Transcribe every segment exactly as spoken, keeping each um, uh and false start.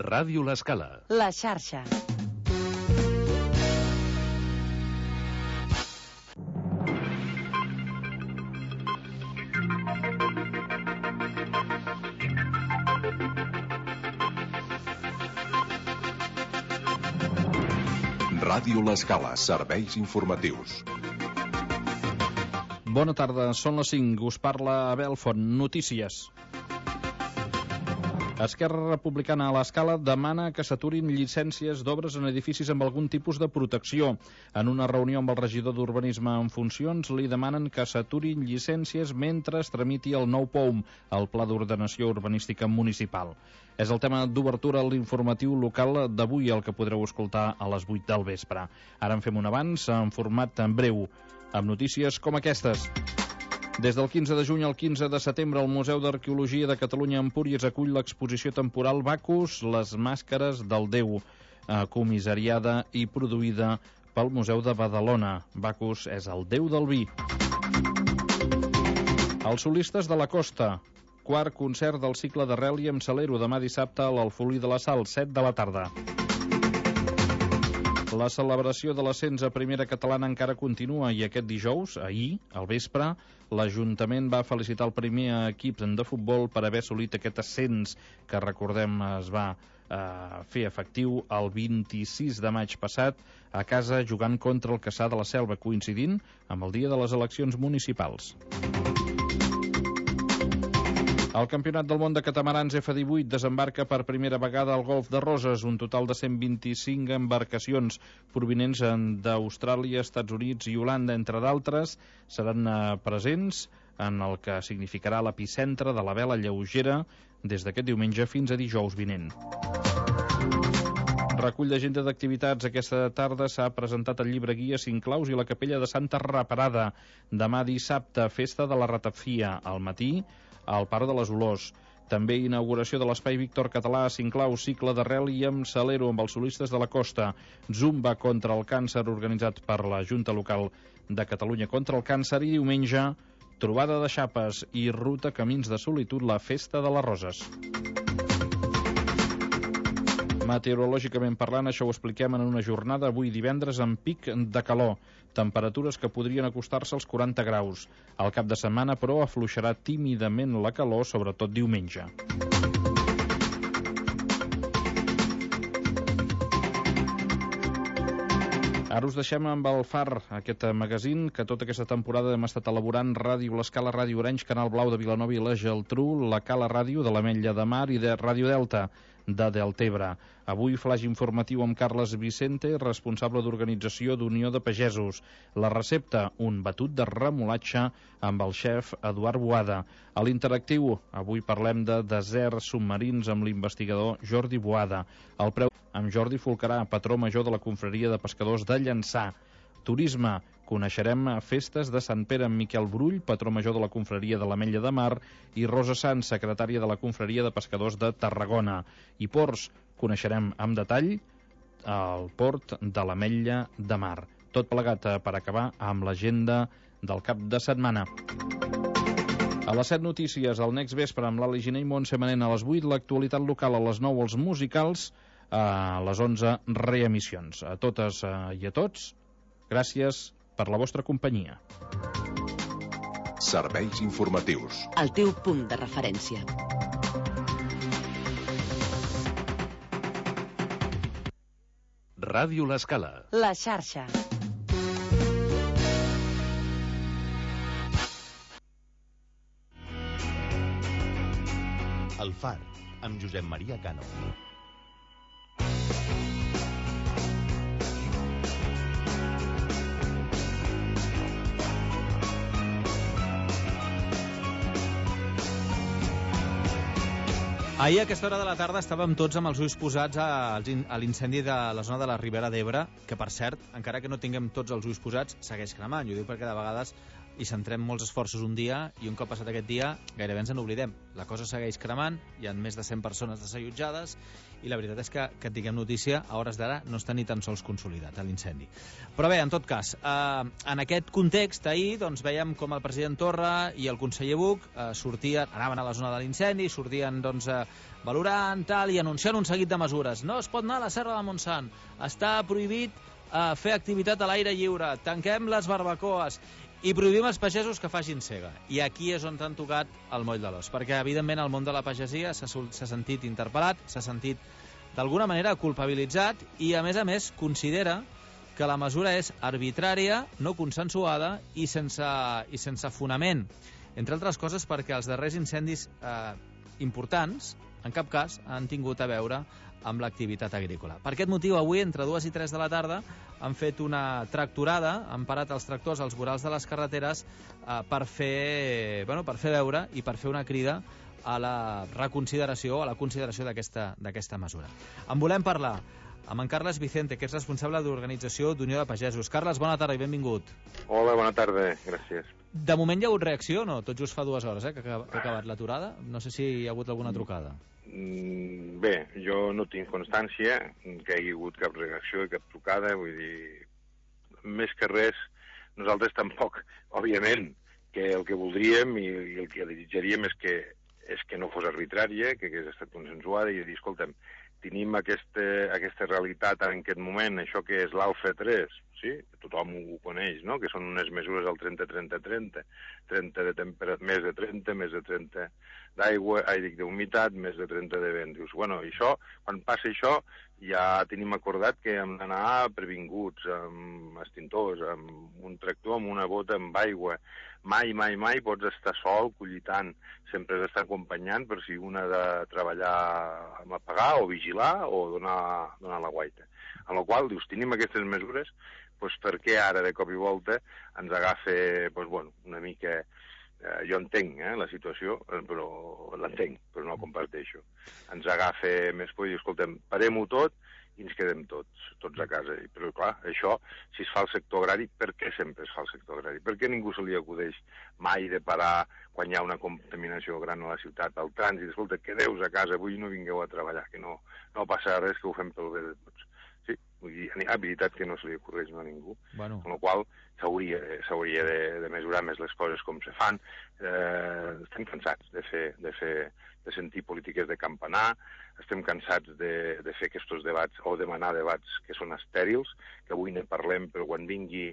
Ràdio L'Escala. La xarxa. Ràdio L'Escala, serveis informatius. Bona tarda, són les cinc, us parla Abel Font, notícies. Esquerra Republicana a l'Escala demana que s'aturin llicències d'obres en edificis amb algun tipus de protecció. En una reunió amb el regidor d'Urbanisme en funcions li demanen que s'aturin llicències mentre es tramiti el nou P O U M, el Pla d'Ordenació Urbanística Municipal. És el tema d'obertura a l'informatiu local d'avui, el que podreu escoltar a les vuit del vespre. Ara en fem un avanç en format en breu, amb notícies com aquestes. Des del quinze de juny al quinze de setembre, el Museu d'Arqueologia de Catalunya a Empúries acull l'exposició temporal Bacus, les màscares del Déu, eh, comissariada i produïda pel Museu de Badalona. Bacus és el déu del vi. Els solistes de la Costa, quart concert del cicle d'Arrel i amb Salero, demà dissabte a l'Alfolí de la Sal, set de la tarda. La celebració de l'ascens a Primera Catalana encara continua i aquest dijous, ahir, al vespre, l'Ajuntament va felicitar el primer equip de futbol per haver assolit aquest ascens que, recordem, es va eh, fer efectiu el vint-i-sis de maig passat a casa jugant contra el Cassà de la Selva, coincidint amb el dia de les eleccions municipals. El Campionat del Món de Catamarans F divuit desembarca per primera vegada al Golf de Roses, un total de cent vint-i-cinc embarcacions provinents d'Austràlia, Estats Units i Holanda, entre d'altres, seran presents en el que significarà l'epicentre de la vela lleugera des d'aquest diumenge fins a dijous vinent. Recull d'agenda d'activitats. Aquesta tarda s'ha presentat el llibre guia Cinc claus i la capella de Santa Reparada. Demà dissabte, festa de la ratafia, al matí, al Parc de les Olors. També inauguració de l'Espai Víctor Català, Cinc claus, cicle d'Arrel i amb Salero, amb els solistes de la Costa. Zumba contra el càncer, organitzat per la Junta Local de Catalunya contra el càncer. I diumenge, trobada de xapes i ruta Camins de Solitud, la Festa de les Roses. Meteorològicament parlant, això ho expliquem en una jornada avui divendres amb pic de calor, temperatures que podrien acostar-se als quaranta graus. Al cap de setmana, però, afluixarà tímidament la calor, sobretot diumenge. Ara us deixem amb el Far, aquest magazín que tota aquesta temporada hem estat elaborant: Ràdio L'Escala, Ràdio Orenys, Canal Blau de Vilanova i la Geltrú, la Cala Ràdio de l'Ametlla de Mar i de Ràdio Delta de Deltebre. Avui flaix informatiu amb Carles Vicente, responsable d'organització d'Unió de Pagesos. La recepta, un batut de remolatge amb el xef Eduard Boada. A l'interactiu, avui parlem de deserts submarins amb l'investigador Jordi Boada. El preu amb Jordi Folcarà, patró major de la Confraria de Pescadors de Llançà. Turisme, coneixerem festes de Sant Pere amb Miquel Brull, patró major de la Confraria de l'Ametlla de Mar, i Rosa Sanz, secretària de la Confraria de Pescadors de Tarragona. I ports, coneixerem amb detall el port de l'Ametlla de Mar. Tot plegat per acabar amb l'agenda del cap de setmana. A les set notícies, al Next Vespre amb l'Ali Giner i Montse Manent. A les vuit, l'actualitat local. A les nou, els musicals. A les onze, reemissions. A totes i a tots, gràcies per la vostra companyia. Serveis informatius. El teu punt de referència. Ràdio L'Escala. La xarxa. El Far, amb Josep Maria Cano. Ahir a aquesta hora de la tarda estàvem tots amb els ulls posats a l'incendi de la zona de la Ribera d'Ebre, que per cert, encara que no tinguem tots els ulls posats, segueix cremant. Jo ho dic perquè de vegades i centrem molts esforços un dia i un cop passat aquest dia gairebé ens n'oblidem. La cosa segueix cremant, hi ha més de cent persones desallotjades i la veritat és que, que et diguem notícia, a hores d'ara no està ni tan sols consolidat l'incendi. Però bé, en tot cas, eh, en aquest context, ahir doncs, veiem com el president Torra i el conseller Buch eh, sortien, anaven a la zona de l'incendi, sortien doncs, eh, valorant tal, i anunciant un seguit de mesures. No es pot anar a la Serra de Montsant, està prohibit eh, fer activitat a l'aire lliure, tanquem les barbacoes i prohibim als pagesos que facin sega. I aquí és on t'han tocat el moll de l'os, perquè evidentment el món de la pagesia s'ha sentit interpel·lat, s'ha sentit d'alguna manera culpabilitzat i a més a més considera que la mesura és arbitrària, no consensuada i sense, i sense fonament. Entre altres coses perquè els darrers incendis eh, importants en cap cas han tingut a veure amb l'activitat agrícola. Per aquest motiu, avui, entre dues i tres de la tarda, han fet una tractorada, han parat els tractors als vorals de les carreteres eh, per fer, bueno, per fer veure i per fer una crida a la reconsideració, a la consideració d'aquesta d'aquesta mesura. En volem parlar amb en Carles Vicente, que és responsable d'Organització d'Unió de Pagesos. Carles, bona tarda i benvingut. Hola, bona tarda, gràcies. De moment hi ha hagut reacció, no? Tot just fa dues hores eh, que ha acabat l'aturada. No sé si hi ha hagut alguna trucada. Mm, bé, jo no tinc constància que hi hagi hagut cap reacció i cap trucada, vull dir, més que res, nosaltres tampoc, òbviament, que el que voldríem i, i el que desitjaríem és que, és que no fos arbitrària, que hagués estat consensuada i dir, escolta'm, tenim aquesta, aquesta realitat en aquest moment, això que és l'Alfa tres, sí? Tothom ho coneix, no? Que són unes mesures al trenta trenta trenta, trenta de temperatura, més de trenta, més de trenta d'aigua, ai, dic, d'humitat, més de trenta de vent. Dius, bueno, i això, quan passa això, ja tenim acordat que hem d'anar previnguts, amb extintors, amb un tractor, amb una bota, amb aigua. Mai, mai, mai pots estar sol collitant. Sempre has d'estar acompanyant per si un ha de treballar amb apagar o vigilar o donar, donar la guaita. En la qual, dius, tenim aquestes mesures, doncs per què ara, de cop i volta, ens agafa, doncs, bueno, una mica... Eh, jo entenc eh, la situació, però l'entenc, però no la comparteixo. Ens agafa més por i diu, escoltem, parem-ho tot i ens quedem tots, tots a casa. Però, clar, això, si es fa al sector agrari, per què sempre es fa al sector agrari? Per què ningú se li acudeix mai de parar quan hi ha una contaminació gran a la ciutat, al trànsit? Escolta, quedeu a casa, avui no vingueu a treballar, que no, no passa res, que ho fem pel bé de tots. Sí, vull dir, hi ha habilitat que no se li ocorreix a ningú, bueno. Amb la qual s'hauria s'hauria de, de mesurar més les coses com se fan. Eh, estem cansats de fer, de fer, de sentir polítiques de campanar, estem cansats de, de fer aquests debats o demanar debats que són estèrils, que avui ne parlem, però quan vingui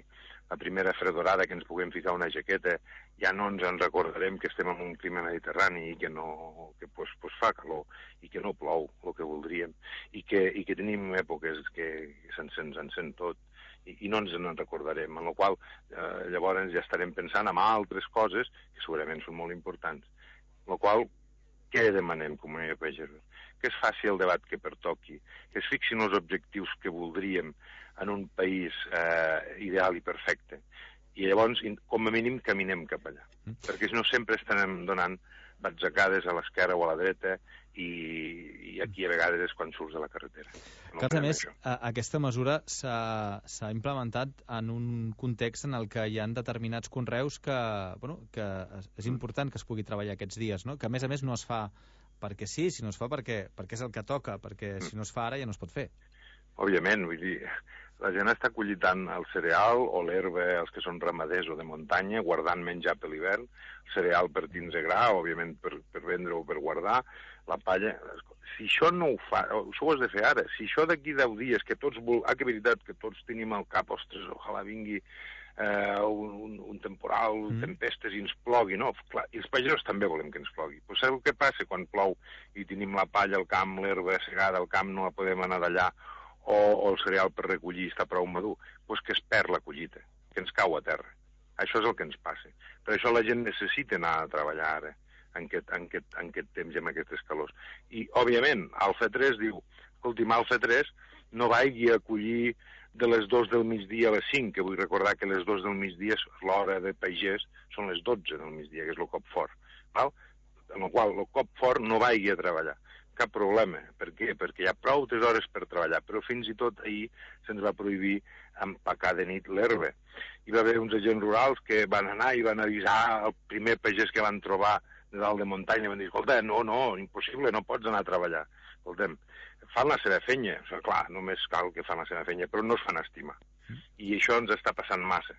la primera fredorada que ens puguem ficar una jaqueta, ja no ens en recordarem que estem en un clima mediterrani i que, no, que pues, pues fa calor i que no plou el que voldríem i que, i que tenim èpoques que se'ns se encén tot i, i no ens en recordarem, en la qual eh, llavors ja estarem pensant en altres coses que segurament són molt importants. En la qual, què demanem, Comunitat de Pagesos? Que es faci el debat que pertoqui, que es fixin els objectius que voldríem en un país eh, ideal i perfecte. I llavors, com a mínim, caminem cap allà. Mm. Perquè si no sempre estarem donant batzacades a l'esquerra o a la dreta i, i aquí a vegades és quan surts de la carretera. No que, a més, a, aquesta mesura s'ha implementat en un context en el que hi ha determinats conreus que, bueno, que és important que es pugui treballar aquests dies, no? Que a més a més no es fa perquè sí, si no es fa perquè, perquè és el que toca, perquè si no es fa ara ja no es pot fer. Òbviament, vull dir, la gent està collitant el cereal o l'herba, els que són ramaders o de muntanya, guardant menjar per l'hivern, el cereal per tindre gra, òbviament per, per vendre o per guardar, la palla... Si això no ho fa, això ho has de fer ara. Si això d'aquí deu dies, que tots vol... Ah, que veritat, que tots tenim al cap, ostres, ojalà vingui eh, un, un temporal, mm. tempestes i ens plogui, no? Clar, i els pagesos també volem que ens plogui. Però saps què passa quan plou i tenim la palla al camp, l'herba segada al camp, no la podem anar d'allà, o, o el cereal per recollir està prou madur? Doncs que es perd la collita, que ens cau a terra. Això és el que ens passa. Per això la gent necessita anar a treballar ara, en aquest, en aquest, en aquest temps i amb aquestes calors. I, òbviament, Alfa tres diu, escolti'm, Alfa tres no vagi a collir de les dos del migdia a les cinc, que vull recordar que les dos del migdia, l'hora de pagès, són les dotze del migdia, que és el cop fort. Val? En el qual el cop fort no vagi a treballar. cap problema. Per què? Perquè hi ha prou hores per treballar, però fins i tot ahir se'ns va prohibir empacar de nit l'herba. Hi va haver uns agents rurals que van anar i van avisar el primer pagès que van trobar de dalt de muntanya, van dir, escolta, no, no, impossible, no pots anar a treballar. Escolta'm, fan la seva feina, o sigui, clar, només cal que fan la seva feina, però no es fan estimar. I això ens està passant massa.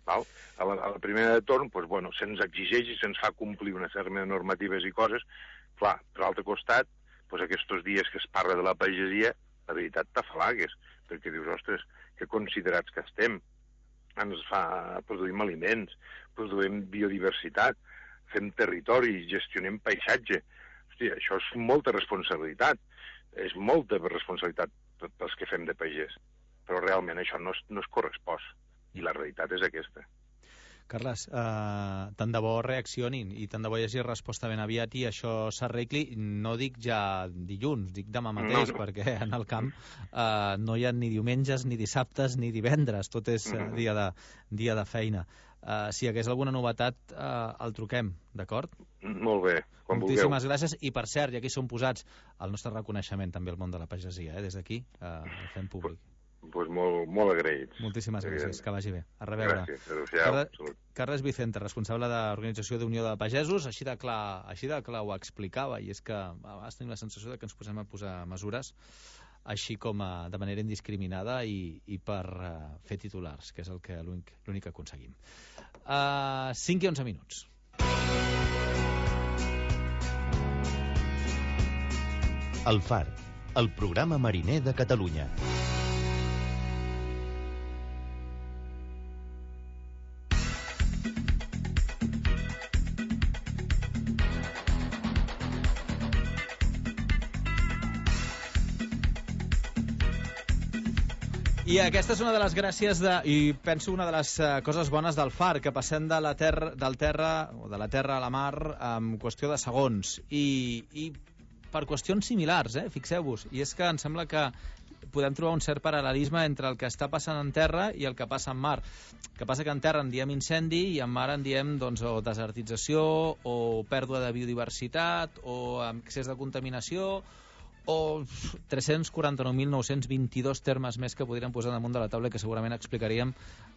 Val? A, la, a la primera de torn, doncs, bueno, se'ns exigeix i se'ns fa complir una sèrie de normatives i coses. Clar, per l'altre costat, doncs, aquests dies que es parla de la pagesia, la veritat t'afalagues, perquè dius, ostres, que considerats que estem. Ens fa, produïm aliments, produïm biodiversitat, fem territori, gestionem paisatge. Hòstia, això és molta responsabilitat. És molta responsabilitat pels que fem de pagès. Però realment això no es, no es correspost. I la realitat és aquesta. Carles, eh, tant de bo reaccionin i tant de bo hi hagi resposta ben aviat i això s'arregli, no dic ja dilluns, dic demà mateix, no, no. Perquè en el camp eh, no hi ha ni diumenges, ni dissabtes, ni divendres, tot és eh, dia, de, dia de feina. Eh, si hi hagués alguna novetat, eh, el truquem, d'acord? Molt bé, quan Moltíssimes vulgueu. gràcies, i per cert, i aquí som posats, el nostre reconeixement també al món de la pagesia, eh, des d'aquí, eh, el fem públic. Pues molt, molt agraïts. Moltíssimes gràcies, que vagi bé. A reveure. Gràcies, adéu-siau. Carles, Carles Vicente, responsable d'Organització d'Unió de Pagesos, així de clar, així de clar ho explicava, i és que a vegades tenim la sensació de que ens posem a posar mesures així com a, de manera indiscriminada i, i per uh, fer titulars, que és el que l'únic que aconseguim. Uh, cinc i onze minuts. El Far, el programa mariner de Catalunya. I aquesta és una de les gràcies de, i penso una de les uh, coses bones del Far, que passem de la terra, del terra, o de la terra a la mar en qüestió de segons. I, i per qüestions similars, eh? Fixeu-vos. I és que em sembla que podem trobar un cert paral·lelisme entre el que està passant en terra i el que passa en mar. El que passa que en terra en diem incendi i en mar en diem doncs, o desertització, o pèrdua de biodiversitat, o excés de contaminació, o tres-cents quaranta-nou mil nou-cents vint-i-dos termes més que podríem posar damunt de la taula, que segurament explicaríem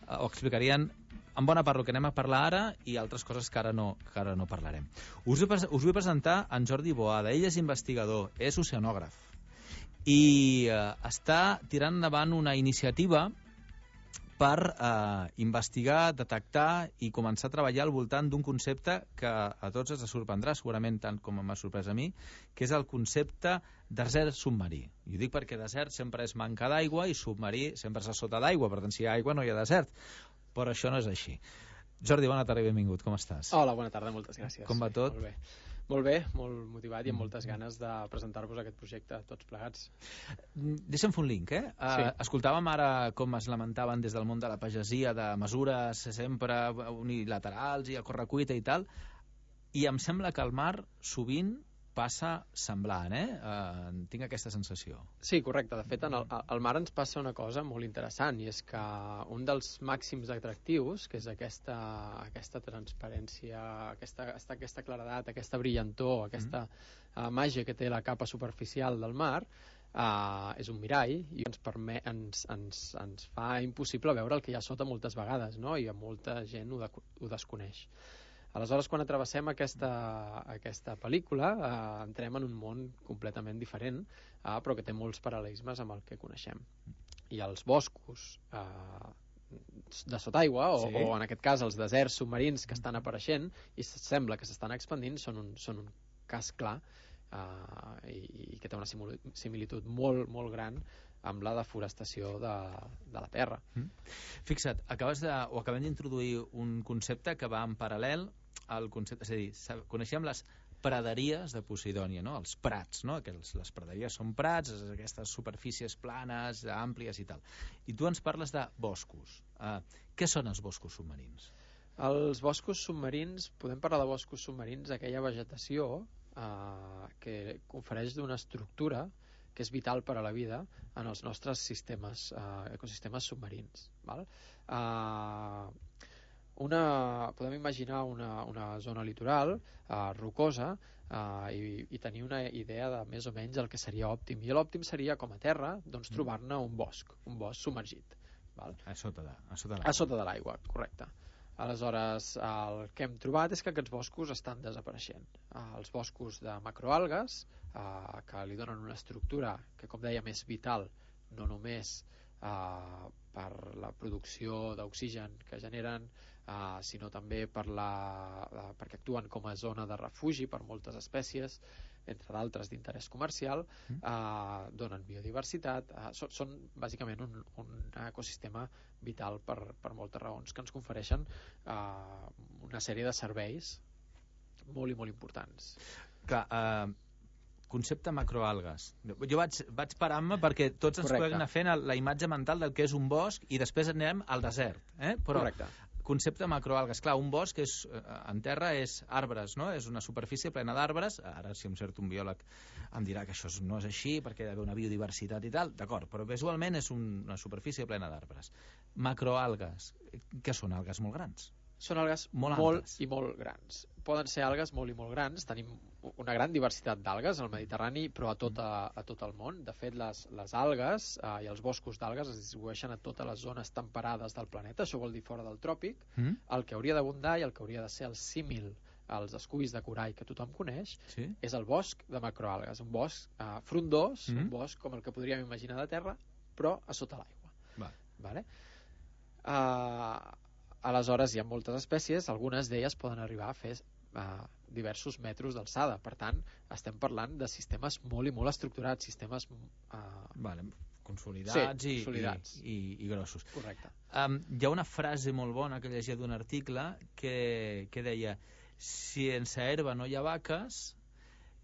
o explicarien en bona part el que anem a parlar ara i altres coses que ara no, que ara no parlarem. Us, us vull presentar en Jordi Boada. Ell és investigador, és oceanògraf i eh, està tirant endavant una iniciativa per eh, investigar, detectar i començar a treballar al voltant d'un concepte que a tots ens sorprendrà, segurament tant com m'ha sorprès a mi, que és el concepte desert submarí. I ho dic perquè desert sempre és manca d'aigua i submarí sempre és a sota d'aigua, per tant si hi ha aigua no hi ha desert, però això no és així. Jordi, bona tarda i benvingut, com estàs? Hola, bona tarda, moltes gràcies. Com va tot? Molt bé. Molt bé, molt motivat i amb moltes ganes de presentar-vos aquest projecte tots plegats. Deixa'm fer un link, eh? Sí. Uh, escoltàvem ara com es lamentaven des del món de la pagesia de mesures sempre unilaterals i a correcuita i tal, i em sembla que al mar sovint passa semblant, eh? Uh, tinc aquesta sensació. Sí, correcte. De fet, en el, al mar ens passa una cosa molt interessant, i és que un dels màxims atractius, que és aquesta, aquesta transparència, aquesta, aquesta, aquesta claredat, aquesta brillantor, aquesta mm. uh, màgia que té la capa superficial del mar, uh, és un mirall i ens, permet, ens, ens, ens fa impossible veure el que hi ha sota moltes vegades, no? I molta gent ho, de, ho desconeix. Aleshores, quan atravessem aquesta, aquesta pel·lícula, eh, entrem en un món completament diferent, eh, però que té molts paral·lelismes amb el que coneixem. I els boscos eh, de sota aigua, o, sí. o en aquest cas els deserts submarins que estan apareixent i sembla que s'estan expandint, són un, són un cas clar eh, i, i que té una similitud molt, molt gran amb la deforestació de, de la terra. Mm. Fixa't, acabes de, o acabem d'introduir un concepte que va en paral·lel al concepte, és a dir, coneixem les praderies de Posidònia, no? Els prats, no? Que els, les praderies són prats, aquestes superfícies planes, àmplies i tal. I tu ens parles de boscos. Uh, què són els boscos submarins? Els boscos submarins, podem parlar de boscos submarins, aquella vegetació uh, que ofereix d'una estructura que és vital per a la vida en els nostres sistemes, uh, ecosistemes submarins. Val? Uh, una, podem imaginar una, una zona litoral uh, rocosa uh, i, i tenir una idea de més o menys el que seria òptim. I l'òptim seria, com a terra, doncs, trobar-ne un bosc, un bosc submergit. Val? A sota de, a sota de l'aigua. A sota de l'aigua, correcte. Aleshores, el que hem trobat és que aquests boscos estan desapareixent. Uh, els boscos de macroalgues, uh, que li donen una estructura que, com dèiem, és vital, no només uh, per la producció d'oxigen que generen, uh, sinó també per la, uh, perquè actuen com a zona de refugi per moltes espècies, entre d'altres d'interès comercial, uh, donen biodiversitat, uh, són, són bàsicament un, un ecosistema vital per, per moltes raons que ens confereixen uh, una sèrie de serveis molt i molt importants. Clar, uh, concepte macroalgues. Jo vaig, vaig parar-me perquè tots ens Correcte. podem anar fent la imatge mental del que és un bosc i després anem al desert. Eh? Però Correcte. concepte macroalgues. Clar, un bosc és, en terra és arbres, no? És una superfície plena d'arbres. Ara, si em cert un biòleg em dirà que això no és així perquè hi ha d'haver una biodiversitat i tal, d'acord, però visualment és un, una superfície plena d'arbres. Macroalgues, què són? Algues molt grans? Són algues Molt molt, amples. i molt grans. Poden ser algues molt i molt grans. Tenim una gran diversitat d'algues al Mediterrani, però a tot, a, a tot el món. De fet, les, les algues eh, i els boscos d'algues es distribueixen a totes les zones temperades del planeta. Això vol dir fora del tròpic. Mm? El que hauria d'abundar i el que hauria de ser el símil als esculls de corall que tothom coneix Sí? és el bosc de macroalgues. Un bosc eh, frondós, Mm. un bosc com el que podríem imaginar de terra, però a sota l'aigua. Va. Vale? Uh, aleshores hi ha moltes espècies, algunes d'elles poden arribar a fer uh, diversos metres d'alçada, per tant estem parlant de sistemes molt i molt estructurats, sistemes uh, Vale. Consolidats, Sí, i, consolidats. I, i, i grossos. correcte. Um, hi ha una frase molt bona que llegia d'un article que, que deia: sense herba no hi ha vaques,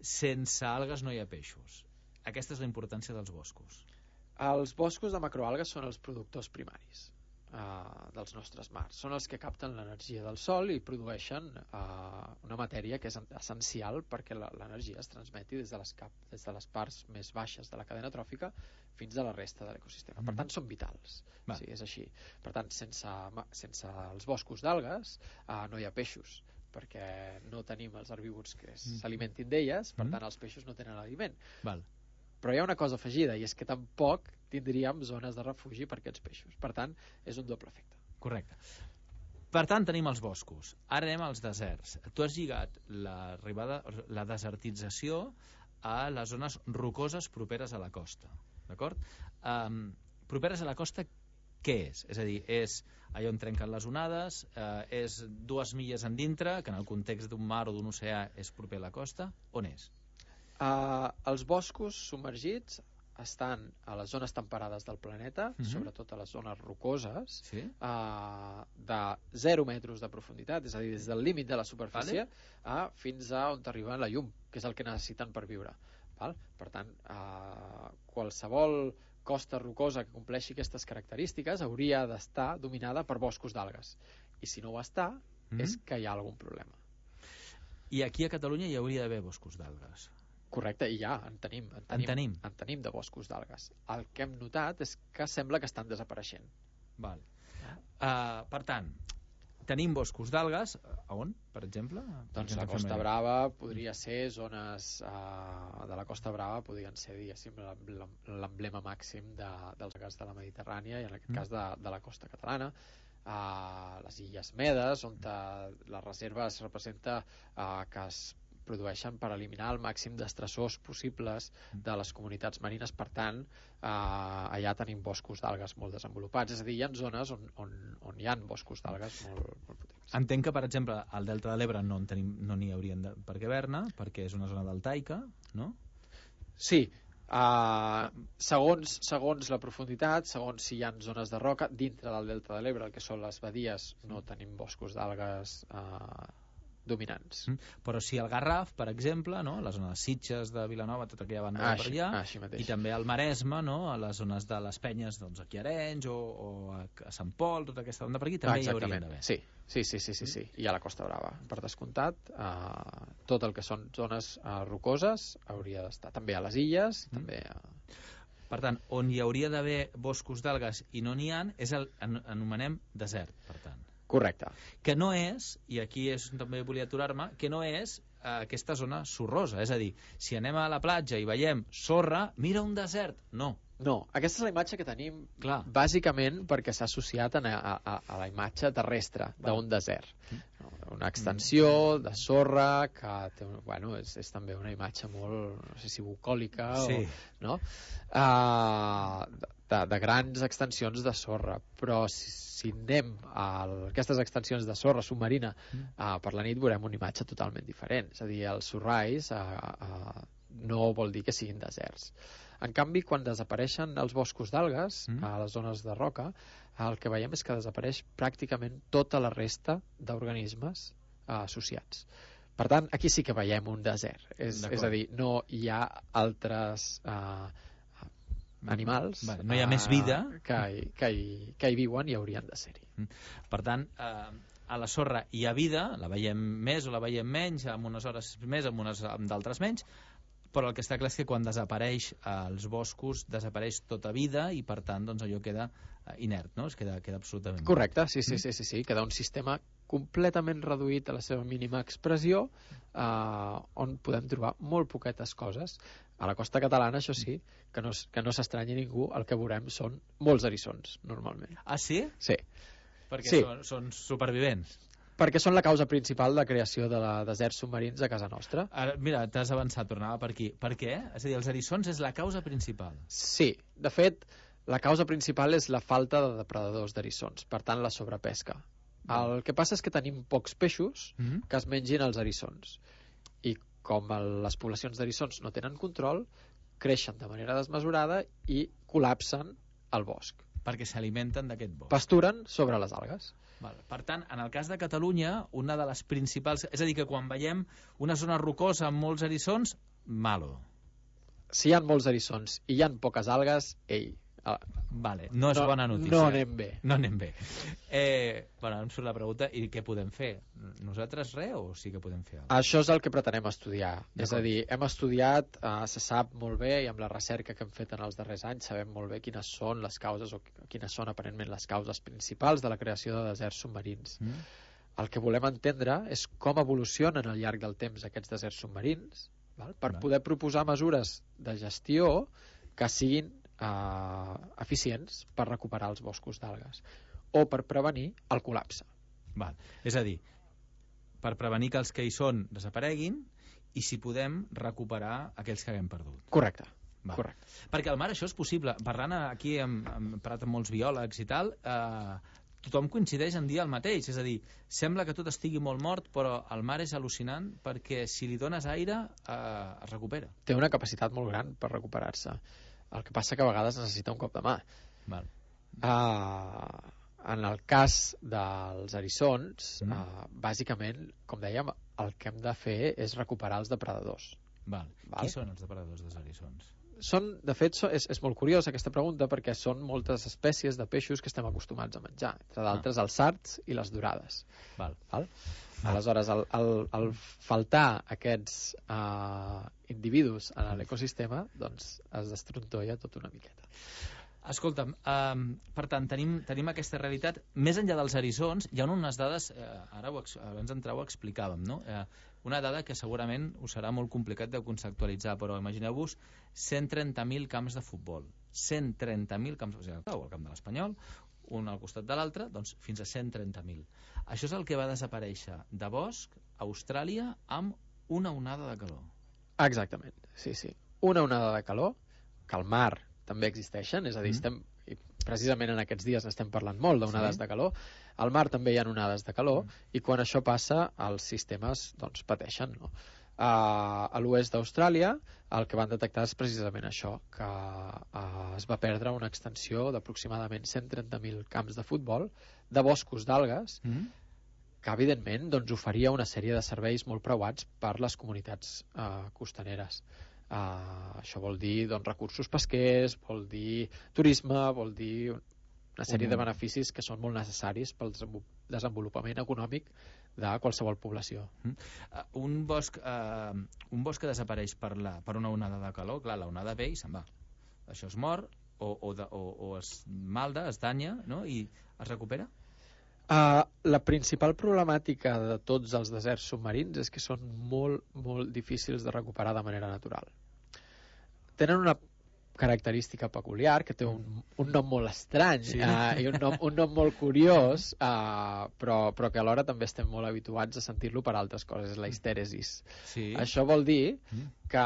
sense algues no hi ha peixos. Aquesta és la importància dels boscos. Els boscos de macroalgues són els productors primaris uh, dels nostres mars. Són els que capten l'energia del sol i produeixen uh, una matèria que és essencial perquè la- l'energia es transmeti des de, les cap, des de les parts més baixes de la cadena tròfica fins a la resta de l'ecosistema. Per Mhm. tant, són vitals. Va. Sí, és així. Per tant, sense, ma- sense els boscos d'algues uh, no hi ha peixos, perquè no tenim els herbívors que Mhm. s'alimentin d'elles, per Mhm. tant els peixos no tenen aliment. Val. Però hi ha una cosa afegida, i és que tampoc tindríem zones de refugi per aquests peixos. Per tant, és un doble efecte. Correcte. Per tant, tenim els boscos. Ara anem als deserts. Tu has lligat l'arribada, la desertització a les zones rocoses properes a la costa. D'acord? Um, properes a la costa, què és? És a dir, és allà on trenquen les onades, eh, és dues milles en dintre, que en el context d'un mar o d'un oceà és proper a la costa. On és? Uh, els boscos submergits estan a les zones temperades del planeta, Mhm. sobretot a les zones rocoses, Sí? uh, de zero metres de profunditat, és a dir, des del límit de la superfície uh, fins a on arriba la llum, que és el que necessiten per viure. Val? Per tant, uh, qualsevol costa rocosa que compleixi aquestes característiques hauria d'estar dominada per boscos d'algues. I si no ho està, Mhm. és que hi ha algun problema. I aquí a Catalunya hi hauria d'haver boscos d'algues. Correcte, i ja, en tenim. En tenim, tenim. en tenim de boscos d'algues. El que hem notat és que sembla que estan desapareixent. Val. Uh, per tant, tenim boscos d'algues. A on, per exemple? Doncs la Costa Brava podria ser zones uh, de la Costa Brava podrien ser, diguéssim, l'em- l'emblema màxim de, dels algues de la Mediterrània i en aquest Mm. cas de, de la costa catalana. Uh, les Illes Medes, on uh, la reserva es representa uh, que es produeixen per eliminar el màxim d'estressors possibles de les comunitats marines. Per tant, eh, allà tenim boscos d'algues molt desenvolupats. És a dir, hi ha zones on, on, on hi ha boscos d'algues molt, molt potents. Entenc que, per exemple, al Delta de l'Ebre no en tenim, no n'hi haurien de, per què haver-ne, perquè és una zona deltaica, no? Sí, uh, segons, segons la profunditat, segons si hi ha zones de roca, dintre del Delta de l'Ebre, el que són les badies, no tenim boscos d'algues uh, dominants. Mm. Però si el Garraf, per exemple, no? La zona de Sitges, de Vilanova, tota aquella banda Ah, de per així, allà, així mateix. i també al Maresme, no? A les zones de les Penyes, doncs aquí a Arenys o, o a, a Sant Pol, tota aquesta banda per aquí, també Ah, hi haurien exactament. d'haver. Sí, sí, sí, sí, sí, sí. I a la Costa Brava, per descomptat, uh, tot el que són zones uh, rocoses hauria d'estar. També a les illes, Mm. també a... Per tant, on hi hauria d'haver boscos d'algues i no n'hi ha, és el en, anomenem desert, per tant. Correcte. Que no és, i aquí és també volia aturar-me, que no és eh, aquesta zona sorrosa. És a dir, si anem a la platja i veiem sorra, mira un desert. No. No, aquesta és la imatge que tenim Clar. bàsicament perquè s'ha associat a, a, a, a la imatge terrestre d'un desert. Una extensió de sorra que té, bueno, és, és també una imatge molt, no sé si bucòlica Sí. o, no? Uh, de, de grans extensions de sorra, però si, si anem a aquestes extensions de sorra submarina uh, per la nit veurem una imatge totalment diferent. És a dir, els sorrais uh, uh, no vol dir que siguin deserts. En canvi, quan desapareixen els boscos d'algues, mm. a les zones de roca, el que veiem és que desapareix pràcticament tota la resta d'organismes eh, associats. Per tant, aquí sí que veiem un desert. És, és a dir, no hi ha altres eh, animals vale, no hi ha més vida que, hi, que, hi, que hi viuen i haurien de ser-hi. Per tant, eh, a la sorra hi ha vida, la veiem més o la veiem menys, amb unes hores més, amb unes amb d'altres menys, però el que està clar és que quan desapareix els boscos desapareix tota vida i per tant doncs, allò queda inert, no? Es queda, queda absolutament... Correcte, sí, sí, sí, sí, sí. Queda un sistema completament reduït a la seva mínima expressió eh, on podem trobar molt poquetes coses. A la costa catalana, això sí, que no, que no s'estranyi ningú, el que veurem són molts eriçons, normalment. Ah, sí? Sí. Perquè sí. Són, són supervivents. Perquè són la causa principal de creació de la deserts submarins a casa nostra. Ara, mira, t'has avançat, tornava per aquí. Per què? És a dir, els eriçons és la causa principal. Sí, de fet, la causa principal és la falta de depredadors d'eriçons, per tant, la sobrepesca. El que passa és que tenim pocs peixos mm-hmm. que es mengin els eriçons. I com el, les poblacions d'eriçons no tenen control, creixen de manera desmesurada i col·lapsen el bosc. Perquè s'alimenten d'aquest bosc. Pasturen sobre les algues. Val. Per tant, en el cas de Catalunya, una de les principals... És a dir, que quan veiem una zona rocosa amb molts eriçons, malo. Si hi ha molts eriçons i hi ha poques algues, ei... Uh, vale, no és no, bona notícia. No anem bé. No anem bé. Eh, bueno, em surt la pregunta, i què podem fer? Nosaltres res o sí que podem fer alguna cosa? Això és el que pretenem estudiar. És a dir, hem estudiat, eh, se sap molt bé, i amb la recerca que hem fet en els darrers anys sabem molt bé quines són les causes o quines són aparentment les causes principals de la creació de deserts submarins. Mm. El que volem entendre és com evolucionen al llarg del temps aquests deserts submarins, val? Per val. poder proposar mesures de gestió que siguin Uh, eficients per recuperar els boscos d'algues o per prevenir el col·lapse. Val. És a dir, per prevenir que els que hi són desapareguin i si podem recuperar aquells que haguem perdut. Correcte. Val. Correcte. Perquè al mar això és possible. Parlant aquí, hem, hem parlat amb molts biòlegs i tal, eh, tothom coincideix en dir el mateix. És a dir, sembla que tot estigui molt mort, però el mar és al·lucinant perquè si li dones aire eh, es recupera. Té una capacitat molt gran per recuperar-se. El que passa que a vegades necessita un cop de mà. Val. Uh, en el cas dels eriçons, mm. uh, bàsicament, com dèiem, el que hem de fer és recuperar els depredadors. Val. Val? Qui són els depredadors dels eriçons? Són, de fet, so, és, és molt curiosa aquesta pregunta perquè són moltes espècies de peixos que estem acostumats a menjar, entre d'altres ah. els sards i les dorades. Val. Val? Aleshores, el, el, el faltar aquests uh, individus en l'ecosistema, doncs es destrontolla tot una miqueta. Escolta'm, um, per tant, tenim, tenim aquesta realitat. Més enllà dels eriçons, hi ha unes dades, eh, ara ho, abans d'entrar ho explicàvem, no? Eh, una dada que segurament us serà molt complicat de conceptualitzar, però imagineu-vos cent trenta mil camps de futbol. cent trenta mil camps de futbol, el camp de l'Espanyol, un al costat de l'altre, doncs fins a cent trenta mil. Això és el que va desaparèixer de bosc a Austràlia amb una onada de calor. Exactament, sí, sí. Una onada de calor, que al mar també existeixen, és a dir, mm. estem, i precisament en aquests dies n'estem parlant molt d'onades sí. de calor, al mar també hi ha onades de calor, mm. i quan això passa, els sistemes doncs, pateixen, no? Uh, a l'oest d'Austràlia el que van detectar és precisament això, que uh, es va perdre una extensió d'aproximadament cent trenta mil camps de futbol de boscos d'algues mm. que evidentment doncs, oferia una sèrie de serveis molt preuats per les comunitats uh, costaneres. Uh, això vol dir doncs, recursos pesquers, vol dir turisme, vol dir una sèrie mm. de beneficis que són molt necessaris pel desenvolupament econòmic de qualsevol població. Mm. Uh, un, bosc, uh, un bosc que desapareix per, la, per una onada de calor, clar, la onada ve i se'n va. Això es mor o, o, de, o, o es malda, es danya, no? I es recupera? Uh, la principal problemàtica de tots els deserts submarins és que són molt, molt difícils de recuperar de manera natural. Tenen una característica peculiar, que té un, un nom molt estrany, sí. uh, i un nom, un nom molt curiós, uh, però, però que alhora també estem molt habituats a sentir-lo per altres coses, la histèresis. Sí. Això vol dir que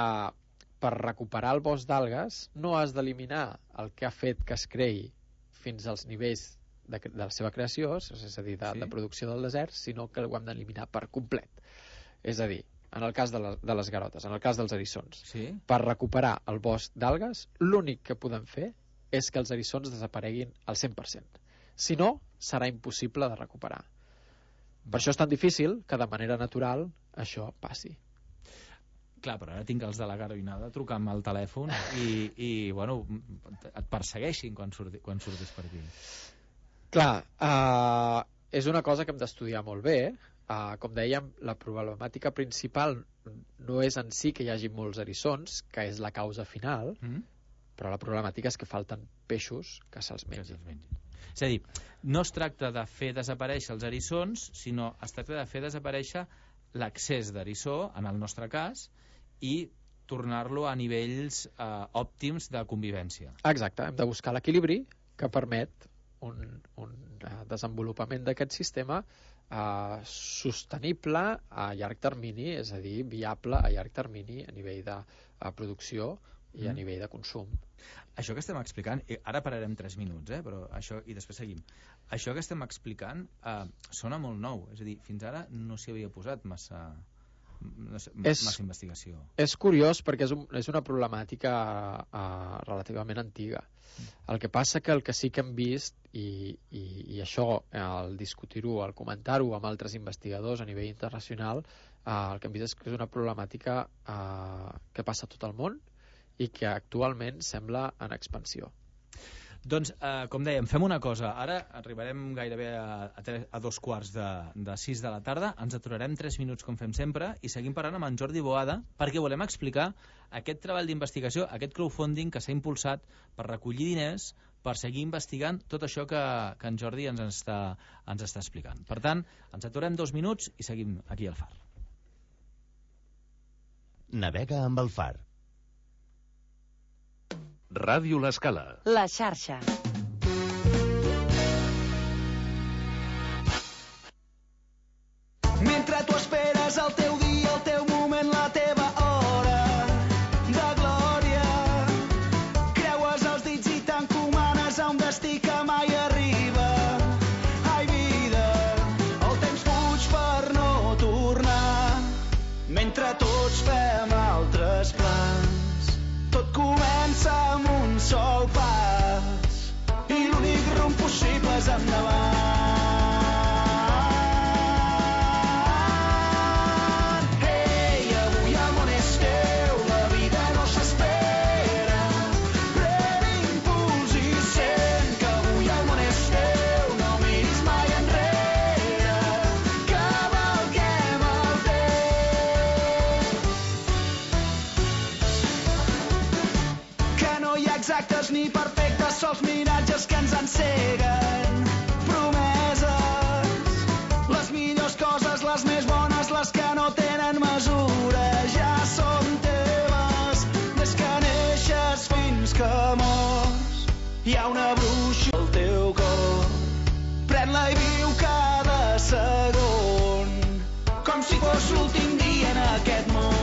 per recuperar el bosc d'algues no has d'eliminar el que ha fet que es creï fins als nivells de, de la seva creació, és a dir, de, sí. de producció del desert, sinó que ho hem d'eliminar per complet. És a dir, en el cas de, la, de les garotes, en el cas dels eriçons, sí. per recuperar el bosc d'algues, l'únic que podem fer és que els eriçons desapareguin al cent per cent. Si no, serà impossible de recuperar. Per això és tan difícil que de manera natural això passi. Clar, però ara tinc els de la garoinada trucant al telèfon i, i bueno, et persegueixin quan, surti, quan surtis per aquí. Clar, uh, és una cosa que hem d'estudiar molt bé. Uh, com dèiem, la problemàtica principal no és en si que hi hagi molts eriçons, que és la causa final, mm. però la problemàtica és que falten peixos que se'ls mengin. Se mengin. És a dir, no es tracta de fer desaparèixer els eriçons, sinó es tracta de fer desaparèixer l'accés d'eriçó, en el nostre cas, i tornar-lo a nivells eh, òptims de convivència. Exacte, hem de buscar l'equilibri que permet un, un uh, desenvolupament d'aquest sistema uh, sostenible a llarg termini, és a dir, viable a llarg termini a nivell de uh, producció i mm. a nivell de consum. Això que estem explicant, ara pararem tres minuts, eh, però això, i després seguim. Això que estem explicant eh, sona molt nou, és a dir, fins ara no s'hi havia posat massa... No sé, és, massa investigació. És curiós perquè és, un, és una problemàtica uh, relativament antiga. El que passa que el que sí que hem vist, i, i, i això, al discutir-ho, al comentar-ho amb altres investigadors a nivell internacional, uh, el que hem vist és que és una problemàtica uh, que passa a tot el món i que actualment sembla en expansió. Doncs, eh, com dèiem, fem una cosa. Ara arribarem gairebé a, a, tres, a dos quarts de, de sis de la tarda. Ens aturarem tres minuts, com fem sempre, i seguim parlant amb en Jordi Boada, perquè volem explicar aquest treball d'investigació, aquest crowdfunding que s'ha impulsat per recollir diners, per seguir investigant tot això que, que en Jordi ens està, ens està explicant. Per tant, ens aturem dos minuts i seguim aquí al Far. Navega amb el Far. Ràdio L'Escala. La xarxa. Mentre tu esperes el teu dia, el teu moment, la teva hora de glòria, creues els dits i t'encomanes a un destí que mai arriba. Ai, vida, el temps fuig per no tornar, mentre tots fem altres plans. Tot comença amb un sol pas i l'únic rumb possible és endavant. Ei, avui el món és teu, la vida no s'espera. Pren impuls i sent que avui el món és teu, no miris mai enrere, cavalquem el temps. Que no hi ha exactes ni perfectes, sols miratges que ens enceguen. Promeses, les millors coses, les més bones, les que no tenen mesura, ja són teves. Des que neixes fins que mors, hi ha una bruixa al teu cor. Pren-la i viu cada segon, com si fos l'últim dia en aquest món.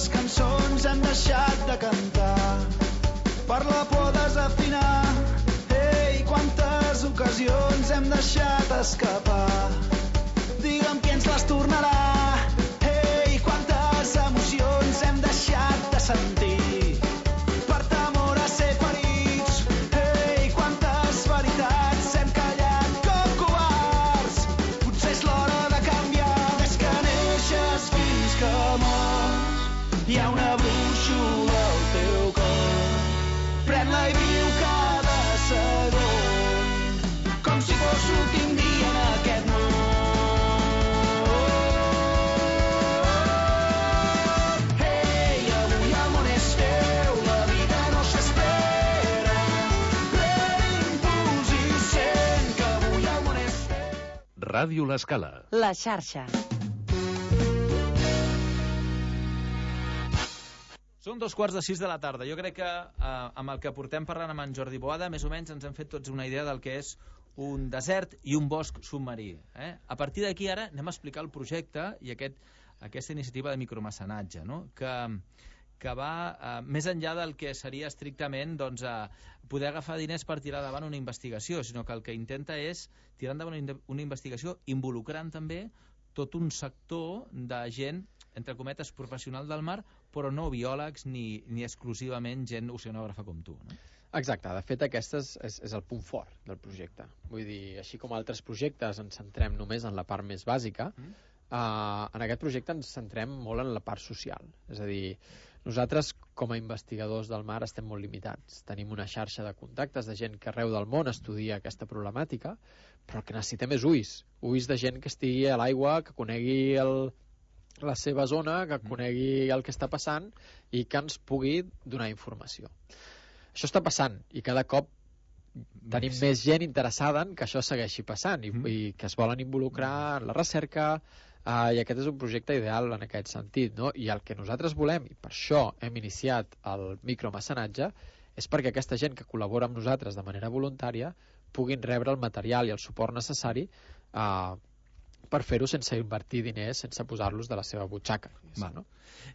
Cançons hem deixat de cantar per la por a desafinar. Ei, quantes ocasions hem deixat escapar. Digue'm qui ens les tornarà. Ei, quantes emocions hem deixat de sentir per temor a ser ferits. Hi ha una brúixola al teu cor. Pren-la i viu cada segon com si fos l'últim dia en aquest món. Hey, avui el món és teu, la vida no s'espera. L'impuls i sent que avui el món és teu. Ràdio L'Escala. La xarxa. Són dos quarts de sis de la tarda. Jo crec que eh, amb el que portem parlant amb en Jordi Boada, més o menys ens hem fet tots una idea del que és un desert i un bosc submarí. Eh? A partir d'aquí ara anem a explicar el projecte i aquest, aquesta iniciativa de micromecenatge, no? que, que va eh, més enllà del que seria estrictament doncs, eh, poder agafar diners per tirar davant una investigació, sinó que el que intenta és tirar endavant una, una investigació involucrant també tot un sector de gent, entre cometes, professional del mar, però no biòlegs ni, ni exclusivament gent oceanògrafa com tu, no? Exacte, de fet aquest és, és, és el punt fort del projecte. Vull dir, així com altres projectes ens centrem només en la part més bàsica, mm. eh, en aquest projecte ens centrem molt en la part social. És a dir, nosaltres com a investigadors del mar estem molt limitats. Tenim una xarxa de contactes de gent que arreu del món estudia aquesta problemàtica, però el que necessitem és ulls. Ulls de gent que estigui a l'aigua, que conegui el la seva zona, que conegui el que està passant i que ens pugui donar informació. Això està passant i cada cop tenim més gent interessada en que això segueixi passant i, i que es volen involucrar en la recerca, eh, i aquest és un projecte ideal en aquest sentit, no? I el que nosaltres volem, i per això hem iniciat el micromecenatge, és perquè aquesta gent que col·labora amb nosaltres de manera voluntària puguin rebre el material i el suport necessari eh, per fer-ho sense invertir diners, sense posar-los de la seva butxaca. Va, no?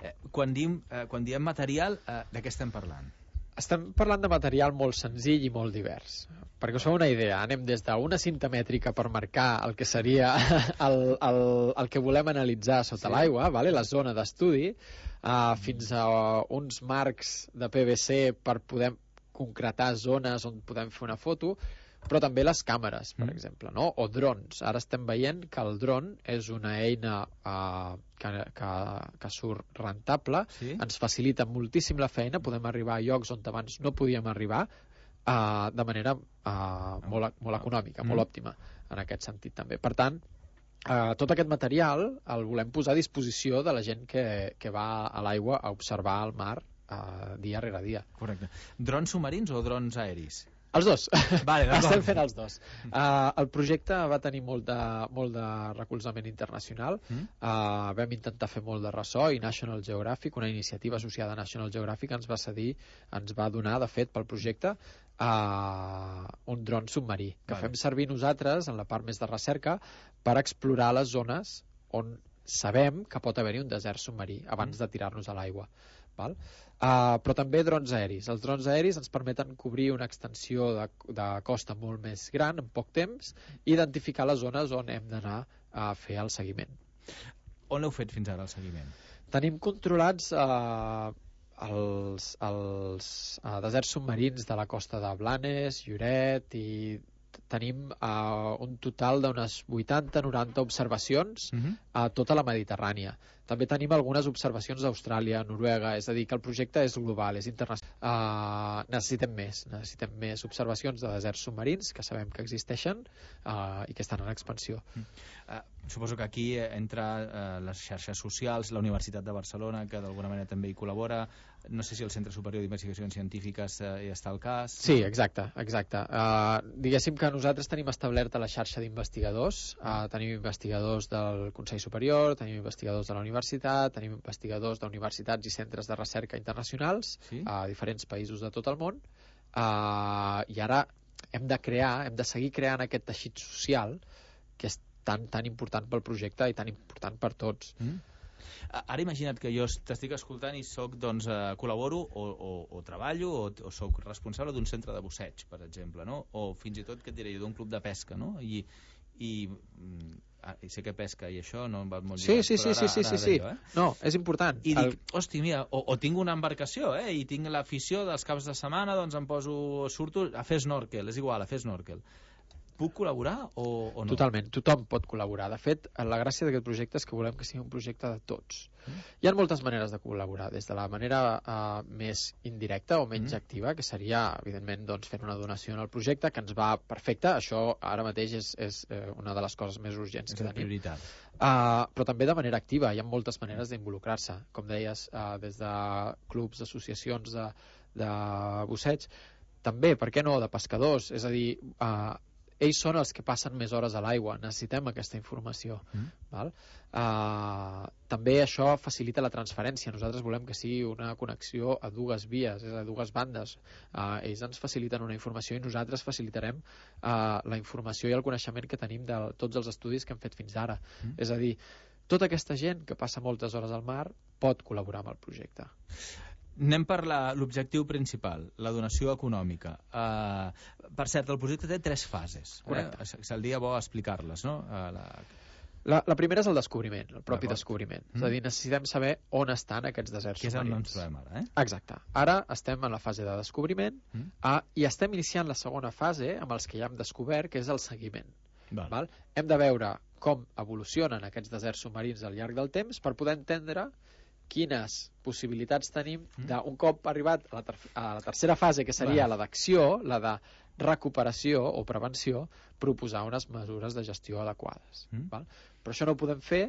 eh, quan, diem, eh, quan diem material, eh, de què estem parlant? Estem parlant de material molt senzill i molt divers. Perquè us feu una idea, anem des d'una cinta mètrica per marcar el que seria el, el, el que volem analitzar sota sí. l'aigua, vale? La zona d'estudi, uh, fins a uns marcs de P V C per poder concretar zones on podem fer una foto, però també les càmeres, per mm. exemple, no? O drons. Ara estem veient que el dron és una eina uh, que, que, que surt rentable, sí? Ens facilita moltíssim la feina, podem arribar a llocs on abans no podíem arribar uh, de manera uh, molt, molt econòmica, mm. molt òptima, en aquest sentit també. Per tant, uh, tot aquest material el volem posar a disposició de la gent que, que va a l'aigua a observar el mar uh, dia rere dia. Correcte. Drons submarins o drons aeris? Els dos. Vale, estem fent els dos. Uh, el projecte va tenir molt de, molt de recolzament internacional. Mm. Uh, vam intentar fer molt de ressò i National Geographic, una iniciativa associada a National Geographic, ens va cedir, ens va donar, de fet, pel projecte uh, un dron submarí, que vale. Fem servir nosaltres, en la part més de recerca, per explorar les zones on sabem que pot haver-hi un desert submarí abans mm. de tirar-nos a l'aigua. Val? Uh, però també drons aeris. Els drons aeris ens permeten cobrir una extensió de, de costa molt més gran en poc temps i identificar les zones on hem d'anar a fer el seguiment. On heu fet fins ara el seguiment? Tenim controlats uh, els, els uh, deserts submarins de la costa de Blanes, Lloret, i tenim uh, un total d'unes vuitanta noranta observacions uh-huh. a tota la Mediterrània. També tenim algunes observacions d'Austràlia, Noruega, és a dir, que el projecte és global, és internacional. Uh, necessitem més, necessitem més observacions de deserts submarins, que sabem que existeixen uh, i que estan en expansió. Uh, suposo que aquí entra uh, les xarxes socials, la Universitat de Barcelona, que d'alguna manera també hi col·labora, no sé si el Centre Superior d'Investigacions Científiques uh, hi està al cas. Sí, exacte, exacte. Uh, diguéssim que nosaltres tenim establerta la xarxa d'investigadors, uh, tenim investigadors del Consell Superior, tenim investigadors de la universitat, tenim investigadors d'universitats i centres de recerca internacionals sí? a diferents països de tot el món, uh, i ara hem de crear, hem de seguir creant aquest teixit social que és tan, tan important pel projecte i tan important per tots. Mm. Ara imagina't que jo t'estic escoltant i soc, doncs, eh, col·laboro o, o, o treballo o, o soc responsable d'un centre de busseig, per exemple, no? O fins i tot, què et diré, d'un club de pesca, no? I, i, ah, i sé que pesca i això no em va molt lligat, sí, sí, sí, sí, sí, sí. Eh? No, és important. I dic, el... hosti, mira, o, o tinc una embarcació, eh? I tinc l'afició dels caps de setmana, doncs em poso, surto a fer snorkel, és igual, a fer snorkel. puc col·laborar o, o no? Totalment, tothom pot col·laborar. De fet, la gràcia d'aquest projecte és que volem que sigui un projecte de tots. Mm. Hi ha moltes maneres de col·laborar, des de la manera uh, més indirecta o menys mm. activa, que seria, evidentment, doncs, fent una donació en el projecte, que ens va perfecte. Això ara mateix és, és eh, una de les coses més urgents és que tenim. Prioritat. Uh, però també de manera activa. Hi ha moltes maneres d'involucrar-se. Com deies, uh, des de clubs, associacions de, de busseig, també, per què no, de pescadors. És a dir, uh, ells són els que passen més hores a l'aigua, necessitem aquesta informació. Mm. Val? Uh, també això facilita la transferència. Nosaltres volem que sigui una connexió a dues vies, és a dues bandes. Uh, ells ens faciliten una informació i nosaltres facilitarem uh, la informació i el coneixement que tenim de tots els estudis que hem fet fins ara. Mm. És a dir, tota aquesta gent que passa moltes hores al mar pot col·laborar amb el projecte. Anem per l'objectiu principal, la donació econòmica. Uh, per cert, el projecte té tres fases. Correcte. Eh? Seria bo explicar-les, no? Uh, la... La, la primera és el descobriment, el propi descobriment. Mm. És a dir, necessitem saber on estan aquests deserts submarins. Que és on ens submarins. trobem ara, eh? Exacte. Ara estem en la fase de descobriment mm. uh, i estem iniciant la segona fase amb els que ja hem descobert, que és el seguiment. Val. Val? Hem de veure com evolucionen aquests deserts submarins al llarg del temps per poder entendre quines possibilitats tenim d'un cop arribat a la, ter a la tercera fase, que seria Val. la d'acció, la de recuperació o prevenció, proposar unes mesures de gestió adequades. Mm. Val? Però això no ho podem fer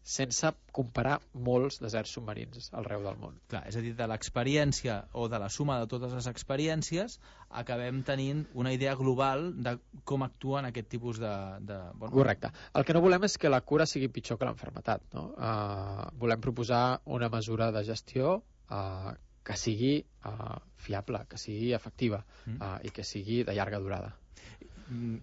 sense comparar molts deserts submarins arreu del món. Clar, és a dir, de l'experiència o de la suma de totes les experiències acabem tenint una idea global de com actuen aquest tipus de... de bueno... Correcte. El que no volem és que la cura sigui pitjor que l'enfermetat. No? Uh, volem proposar una mesura de gestió uh, que sigui uh, fiable, que sigui efectiva mm. uh, i que sigui de llarga durada. Mm.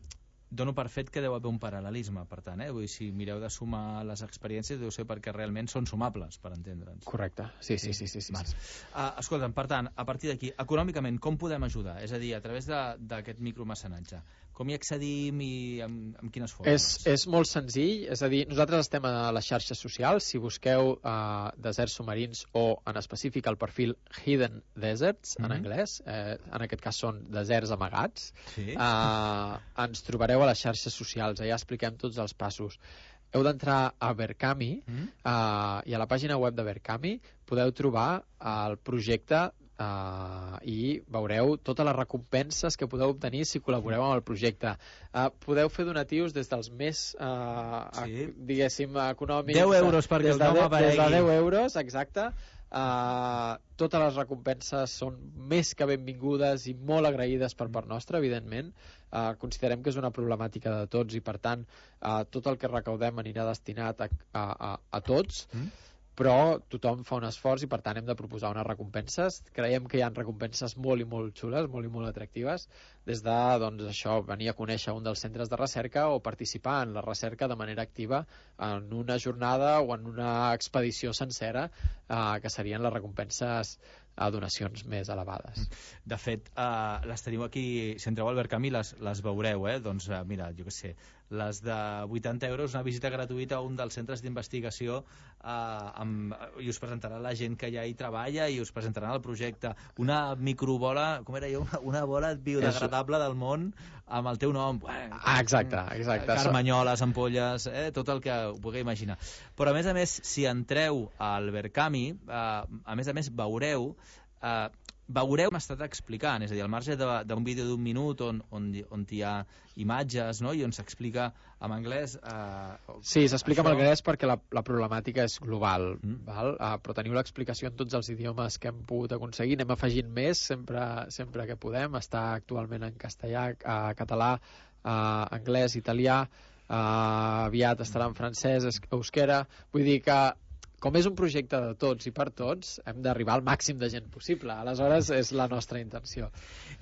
Dono per fet que deu haver un paral·lelisme, per tant, eh? Vull dir, si mireu de sumar les experiències deu ser perquè realment són sumables, per entendre'ns. Correcte, sí, sí, sí. sí, sí, sí. Uh, escolta'm, per tant, a partir d'aquí, econòmicament, com podem ajudar? És a dir, a través d'aquest micromecenatge. Com hi accedim i amb, amb quines formes? És, és molt senzill, és a dir, nosaltres estem a les xarxes socials, si busqueu uh, deserts submarins o en específic el perfil Hidden Deserts, en mm-hmm. anglès, eh, en aquest cas són deserts amagats, sí. uh, ens trobareu a les xarxes socials, allà expliquem tots els passos. Heu d'entrar a Verkami mm. uh, i a la pàgina web de Verkami podeu trobar el projecte uh, i veureu totes les recompenses que podeu obtenir si col·laboreu amb el projecte. Uh, podeu fer donatius des dels més, uh, sí. diguéssim, econòmics. deu euros perquè el nom aparegui. Des de deu euros, exacte. Uh, totes les recompenses són més que benvingudes i molt agraïdes per part nostra, evidentment. Uh, considerem que és una problemàtica de tots i per tant uh, tot el que recaudem anirà destinat a, a, a, a tots mm. però tothom fa un esforç i per tant hem de proposar unes recompenses. Creiem que hi ha recompenses molt i molt xules, molt i molt atractives, des de doncs, això, venir a conèixer un dels centres de recerca o participar en la recerca de manera activa en una jornada o en una expedició sencera, eh, que serien les recompenses a donacions més elevades. De fet, uh, les teniu aquí, si entreu al Verkami les, les veureu, eh? Doncs uh, mira, jo què sé, les de vuitanta euros, una visita gratuïta a un dels centres d'investigació uh, amb, i us presentarà la gent que ja hi treballa i us presentaran el projecte. Una microbola, com era jo? Una bola biodegradable del món amb el teu nom. Ah, exacte, exacte. Carmanyoles, ampolles, eh? Tot el que ho pugueu imaginar. Però a més a més, si entreu al Verkami, uh, a més a més veureu Uh, veureu, m'ha estat explicant, és a dir, al marge d'un vídeo d'un minut on, on, on hi ha imatges, no?, i on s'explica en anglès... Uh, sí, s'explica això... en anglès perquè la, la problemàtica és global, mm. val? Uh, però teniu l'explicació en tots els idiomes que hem pogut aconseguir, anem afegint més sempre, sempre que podem, està actualment en castellà, uh, català, uh, anglès, italià, uh, aviat estarà en francès, euskera, vull dir que com és un projecte de tots i per tots, hem d'arribar al màxim de gent possible. Aleshores, és la nostra intenció.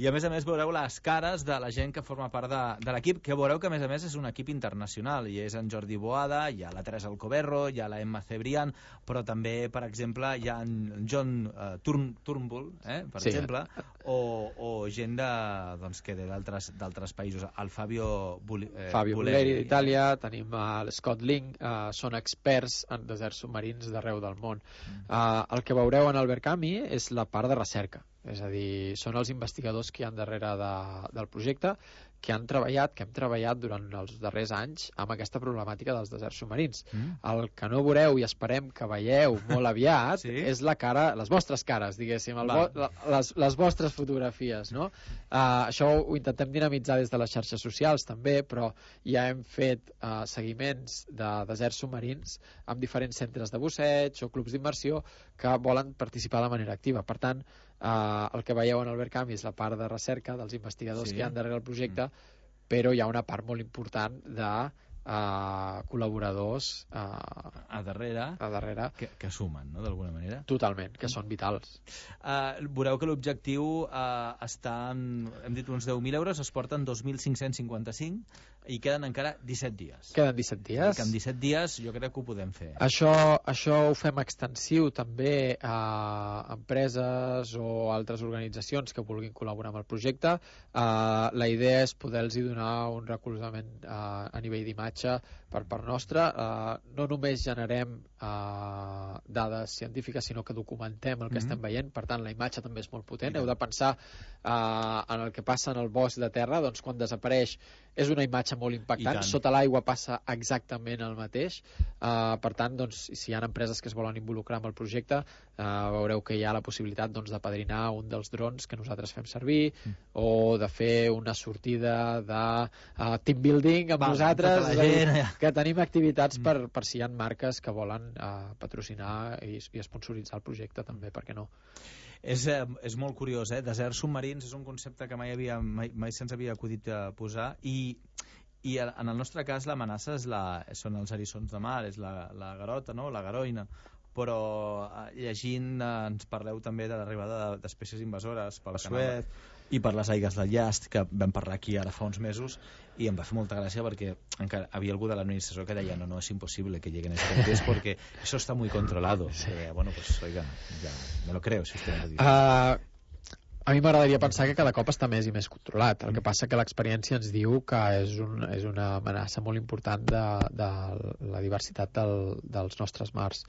I a més a més veureu les cares de la gent que forma part de, de l'equip, que veureu que a més a més és un equip internacional. Hi és en Jordi Boada, hi ha la Teresa Alcoberro, hi ha la Emma Cebrián, però també, per exemple, hi ha en John uh, Turn, Turnbull, eh, per sí. exemple, o, o gent de, doncs, que d'altres països. El Fabio, Bulli, eh, Fabio Bulleri d'Itàlia, tenim uh, l'Scott Ling, uh, són experts en deserts submarins d'arreu del món. Mm. Uh, el que veureu en el Verkami és la part de recerca, és a dir, són els investigadors que hi ha darrere de, del projecte, que han treballat, que hem treballat durant els darrers anys amb aquesta problemàtica dels deserts submarins. Mm. El que no veureu i esperem que veieu molt aviat sí? és la cara, les vostres cares, diguéssim, el vo les, les vostres fotografies, no? Uh, això ho intentem dinamitzar des de les xarxes socials també, però ja hem fet uh, seguiments de deserts submarins amb diferents centres de busseig o clubs d'immersió que volen participar de manera activa. Per tant, Uh, el que veieu en el Verkami és la part de recerca dels investigadors sí. que hi ha darrere el projecte, mm. però hi ha una part molt important de uh, col·laboradors uh, a darrere, a darrere que, que sumen, no?, d'alguna manera. Totalment, que mm. són vitals. Uh, veureu que l'objectiu uh, està en, hem dit uns deu mil euros, es porten dos mil cinc-cents cinquanta-cinc i queden encara disset dies. Queden disset dies. Que en disset dies jo crec que ho podem fer. Això, això ho fem extensiu també a empreses o altres organitzacions que vulguin col·laborar amb el projecte. Uh, la idea és poder-los donar un recolzament uh, a nivell d'imatge per part nostra. Uh, no només generem uh, dades científiques, sinó que documentem el que mm-hmm. estem veient. Per tant, la imatge també és molt potent. Heu de pensar uh, en el que passa en el bosc de terra, doncs quan desapareix és una imatge molt impactant, sota l'aigua passa exactament el mateix. Uh, per tant, doncs, si hi ha empreses que es volen involucrar amb el projecte, uh, veureu que hi ha la possibilitat doncs, de padrinar un dels drons que nosaltres fem servir, mm. o de fer una sortida de uh, team building amb Va, nosaltres, gent, ja. que tenim activitats mm. per, per si hi ha marques que volen uh, patrocinar i, i sponsoritzar el projecte també, per què no? És, eh, és molt curiós, eh? Deserts submarins és un concepte que mai, havia, mai, mai se'ns havia acudit a posar i, i en el nostre cas l'amenaça és la, són els eriçons de mar, és la, la garota, no? La garoina, però eh, llegint eh, ens parleu també de l'arribada d'espècies invasores pel Suez i per les aigues del Llast, que vam parlar aquí ara fa uns mesos, i em va fer molta gràcia perquè encara havia algú de l'administració que deia no, no, es imposible que lleguen estos pez porque eso está muy controlado. Sí. Eh, bueno, pues oiga, ya me lo creo, si usted me lo dice. Uh, a mi m'agradaria pensar que cada cop està més i més controlat. El que passa que l'experiència ens diu que és, un, és una amenaça molt important de, de la diversitat del, dels nostres mars.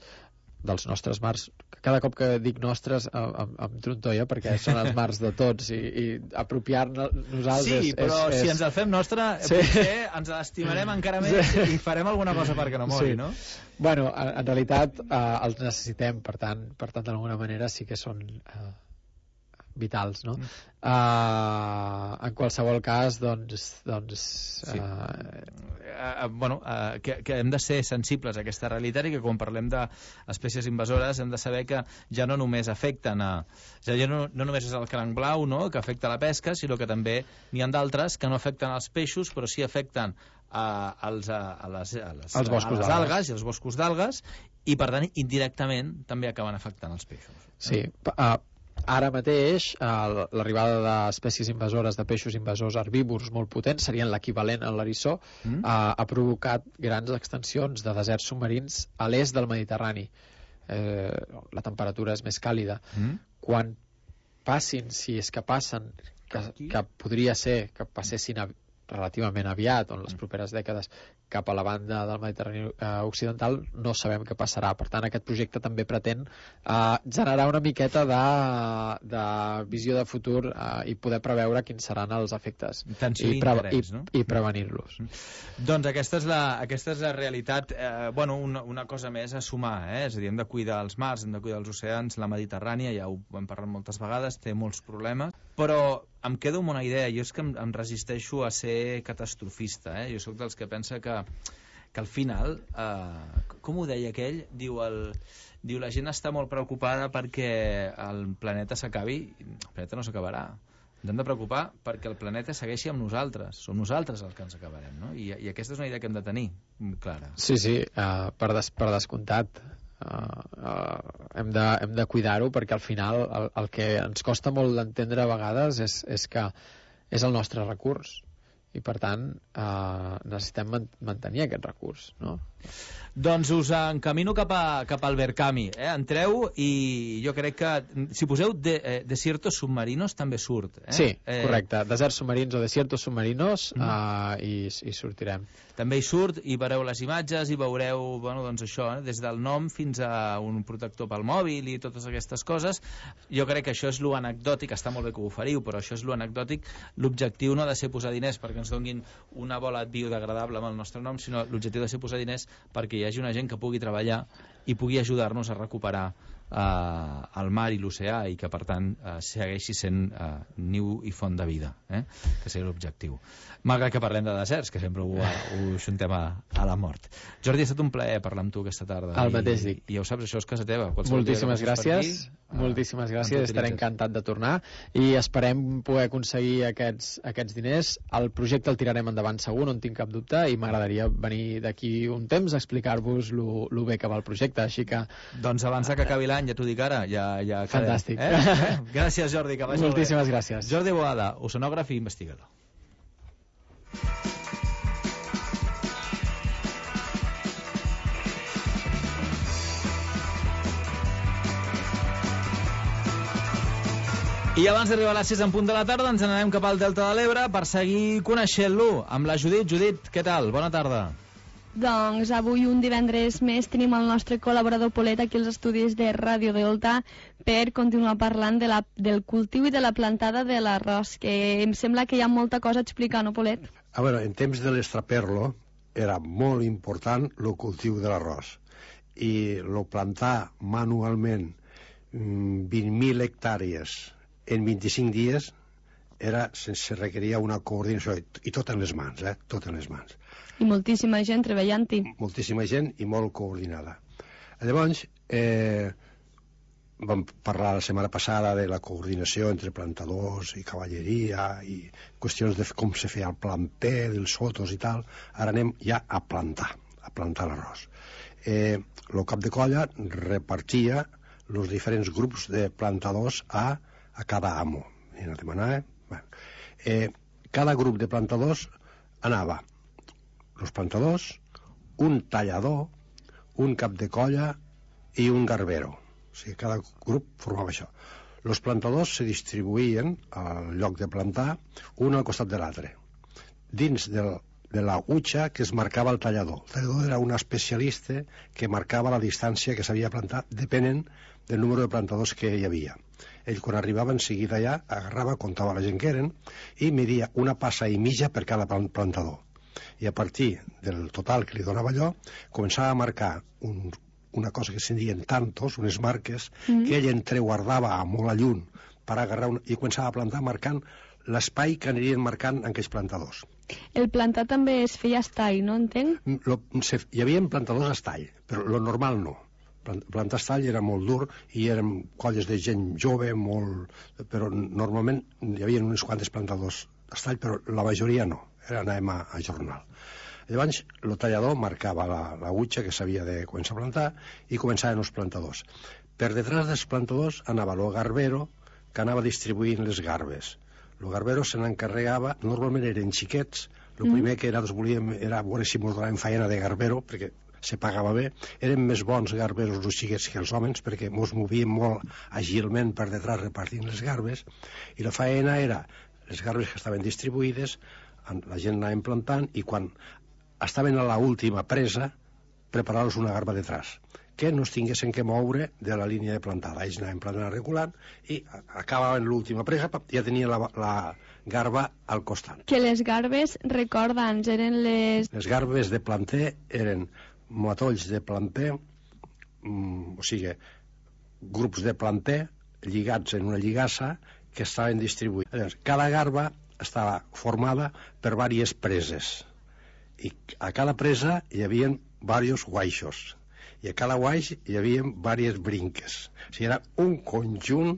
dels nostres mars, cada cop que dic nostres em, em trontolla perquè són els mars de tots i, i apropiar-nos nosaltres sí, és, però és, si és... ens el fem nostre sí. potser ens l'estimarem encara més sí. i farem alguna cosa perquè no mori, sí. no? Bueno, en, en realitat eh, els necessitem, per tant, per tant d'alguna manera sí que són eh, vitals, no? Mm. Uh, en qualsevol cas, doncs... doncs sí. uh... Uh, bueno, uh, que, que hem de ser sensibles a aquesta realitat i que quan parlem d'espècies invasores hem de saber que ja no només afecten a... Ja no, no només és el cranc blau, no?, que afecta la pesca, sinó que també n'hi ha d'altres que no afecten els peixos, però sí afecten a, als, a, a les, a les, els boscos a les algues i els boscos d'algues i, per tant, indirectament també acaben afectant els peixos. Sí, uh, ara mateix eh, l'arribada d'espècies invasores de peixos invasors herbívors molt potents, serien l'equivalent a l'eriçó, mm. eh, ha provocat grans extensions de deserts submarins a l'est del Mediterrani. Eh, la temperatura és més càlida. Mm. Quan passin, si és que passen, que, que podria ser que passessin a, relativament aviat, o en les properes dècades, cap a la banda del Mediterrani eh, occidental, no sabem què passarà. Per tant, aquest projecte també pretén eh, generar una miqueta de, de visió de futur eh, i poder preveure quins seran els efectes i, pre i, no? i prevenir-los. Doncs aquesta és la, aquesta és la realitat. Eh, bueno, una, una cosa més a sumar, eh? És a dir, hem de cuidar els mars, hem de cuidar els oceans, la Mediterrània, ja ho hem parlat moltes vegades, té molts problemes, però em quedo amb una idea, jo és que em, em resisteixo a ser catastrofista, eh? Jo sóc dels que pensa que, que al final, eh, com ho deia aquell, diu, el, diu la gent està molt preocupada perquè el planeta s'acabi, el planeta no s'acabarà. Ens hem de preocupar perquè el planeta segueixi amb nosaltres, som nosaltres els que ens acabarem, no? I, i aquesta és una idea que hem de tenir clara. Sí, sí, uh, per, des, per descomptat. Uh, uh, hem de, hem de cuidar-ho perquè al final el, el que ens costa molt d'entendre a vegades és, és que és el nostre recurs i per tant uh, necessitem man mantenir aquest recurs, no? Doncs us encamino cap, a, cap al Verkami. Eh? Entreu i jo crec que si poseu de, eh, desiertos submarinos també surt. Eh? Sí, eh, correcte. Deserts submarins o desiertos submarinos mm. uh, i, i sortirem. També hi surt i veureu les imatges i veureu, bueno, doncs això, eh? Des del nom fins a un protector pel mòbil i totes aquestes coses. Jo crec que això és lo anecdòtic, està molt bé que ho oferiu, però això és lo anecdòtic. L'objectiu no ha de ser posar diners perquè ens donguin una bola biodegradable amb el nostre nom, sinó l'objectiu ha de ser posar diners perquè hi hagi una gent que pugui treballar i pugui ajudar-nos a recuperar eh, el mar i l'oceà i que per tant eh, segueixi sent eh, niu i font de vida, eh? Que sigui l'objectiu. Malgrat que parlem de deserts, que sempre ho, ho xuntem a, a la mort. Jordi, ha estat un plaer parlar amb tu aquesta tarda. El I, mateix dic. I ja ho saps, això és casa teva. Moltíssimes gràcies. Aquí, moltíssimes gràcies, estaré encantat de tornar i esperem poder aconseguir aquests, aquests diners. El projecte el tirarem endavant segur, no en tinc cap dubte, i m'agradaria venir d'aquí un temps a explicar-vos lo, lo bé que va el projecte, així que... Doncs abans que acabi l'any, ja t'ho dic ara, ja, ja quedem. Fantàstic. Eh? Gràcies, Jordi, que vagi moltíssimes molt bé. Gràcies. Jordi Boada, oceanògraf i investigador. I abans d'arribar a les sis en punt de la tarda ens n'anem cap al Delta de l'Ebre per seguir coneixent-lo amb la Judit. Judit, què tal? Bona tarda. Doncs avui un divendres més tenim el nostre col·laborador Polet aquí als estudis de Ràdio Delta per continuar parlant de la, del cultiu i de la plantada de l'arròs, que em sembla que hi ha molta cosa a explicar, no, Polet? A veure, en temps de l'estraperlo era molt important el cultiu de l'arròs i el plantar manualment vint mil hectàrees en vint-i-cinc dies era, se requeria una coordinació i tot en les mans, eh? Tot en les mans. I moltíssima gent treballant-hi. Moltíssima gent i molt coordinada. Llavors, eh, vam parlar la setmana passada de la coordinació entre plantadors i cavalleria i qüestions de com se feia el planter, dels sotos i tal. Ara anem ja a plantar, a plantar l'arròs. Eh, el cap de colla repartia els diferents grups de plantadors a, a cada amo. I no demanava, eh? Bueno, eh, cada grup de plantadors anava els plantadors, un tallador, un cap de colla i un garbero. O sigui, cada grup formava això. Els plantadors se distribuïen al lloc de plantar, un al costat de l'altre. Dins del, de la utxa que es marcava el tallador. El tallador era un especialista que marcava la distància que s'havia plantat depenent del número de plantadors que hi havia. Ell, quan arribava en seguida allà, agarrava, comptava la gent que eren i media una passa i mitja per cada plantador. I a partir del total que li donava allò, començava a marcar un, una cosa que se'n diuen tantos, unes marques, mm. que ell entreguardava a molt a lluny per agarrar un, i començava a plantar marcant l'espai que anirien marcant en aquells plantadors. El plantar també es feia a estall, no entenc? Lo, se, hi havia plantadors a estall, però lo normal no. Plantar estall era molt dur i eren colles de gent jove, molt... però normalment hi havia uns quantes plantadors a estall, però la majoria no. Era, anàvem a, a jornal. Llavors, el tallador marcava la, la utxa que s'havia de començar a plantar i començaven els plantadors. Per detrás dels plantadors anava el garbero, que anava distribuint les garbes. El garbero se n'encarregava, normalment eren xiquets, el mm. primer que era, volíem, era veure si mos donaven feina de garbero, perquè se pagava bé. Eren més bons garberos els xiquets que els homes, perquè mos movíem molt agilment per detrás repartint les garbes, i la feina era les garbes que estaven distribuïdes, la gent anava plantant, i quan estaven a l'última presa, preparar-los una garba detrás, que no es tinguessin que moure de la línia de plantada. Ells anaven plantant regulant i acabaven l'última presa, ja tenien la, la garba al costat. Que les garbes, recorda'ns, eren les... Les garbes de planter eren matolls de planter, mm, o sigui, grups de planter lligats en una lligassa que estaven distribuïts. Llavors, cada garba estava formada per diverses preses i a cada presa hi havia diversos guaixos i a cada guaix hi havia diverses brinques. O sigui, era un conjunt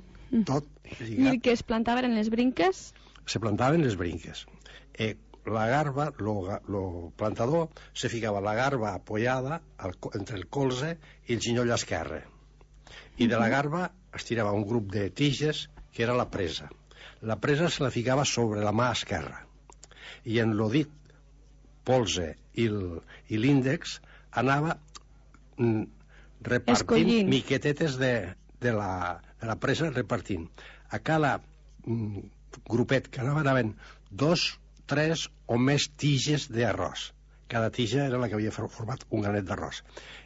tot lligat. I que es plantaven en les brinques? Se plantaven les brinques. Eh, la garba, el plantador, se ficava la garba apoyada al, entre el colze i el ginoll esquerre. I de la garba es tirava un grup de tiges que era la presa. La presa se la ficava sobre la mà esquerra. I en el dit polze i l'índex anava mm, repartint Escollint. miquetetes de, de, la, de la presa, repartint. A cada mm, grupet que anava, anaven dos, tres o més tiges d'arròs. Cada tija era la que havia format un granet d'arròs.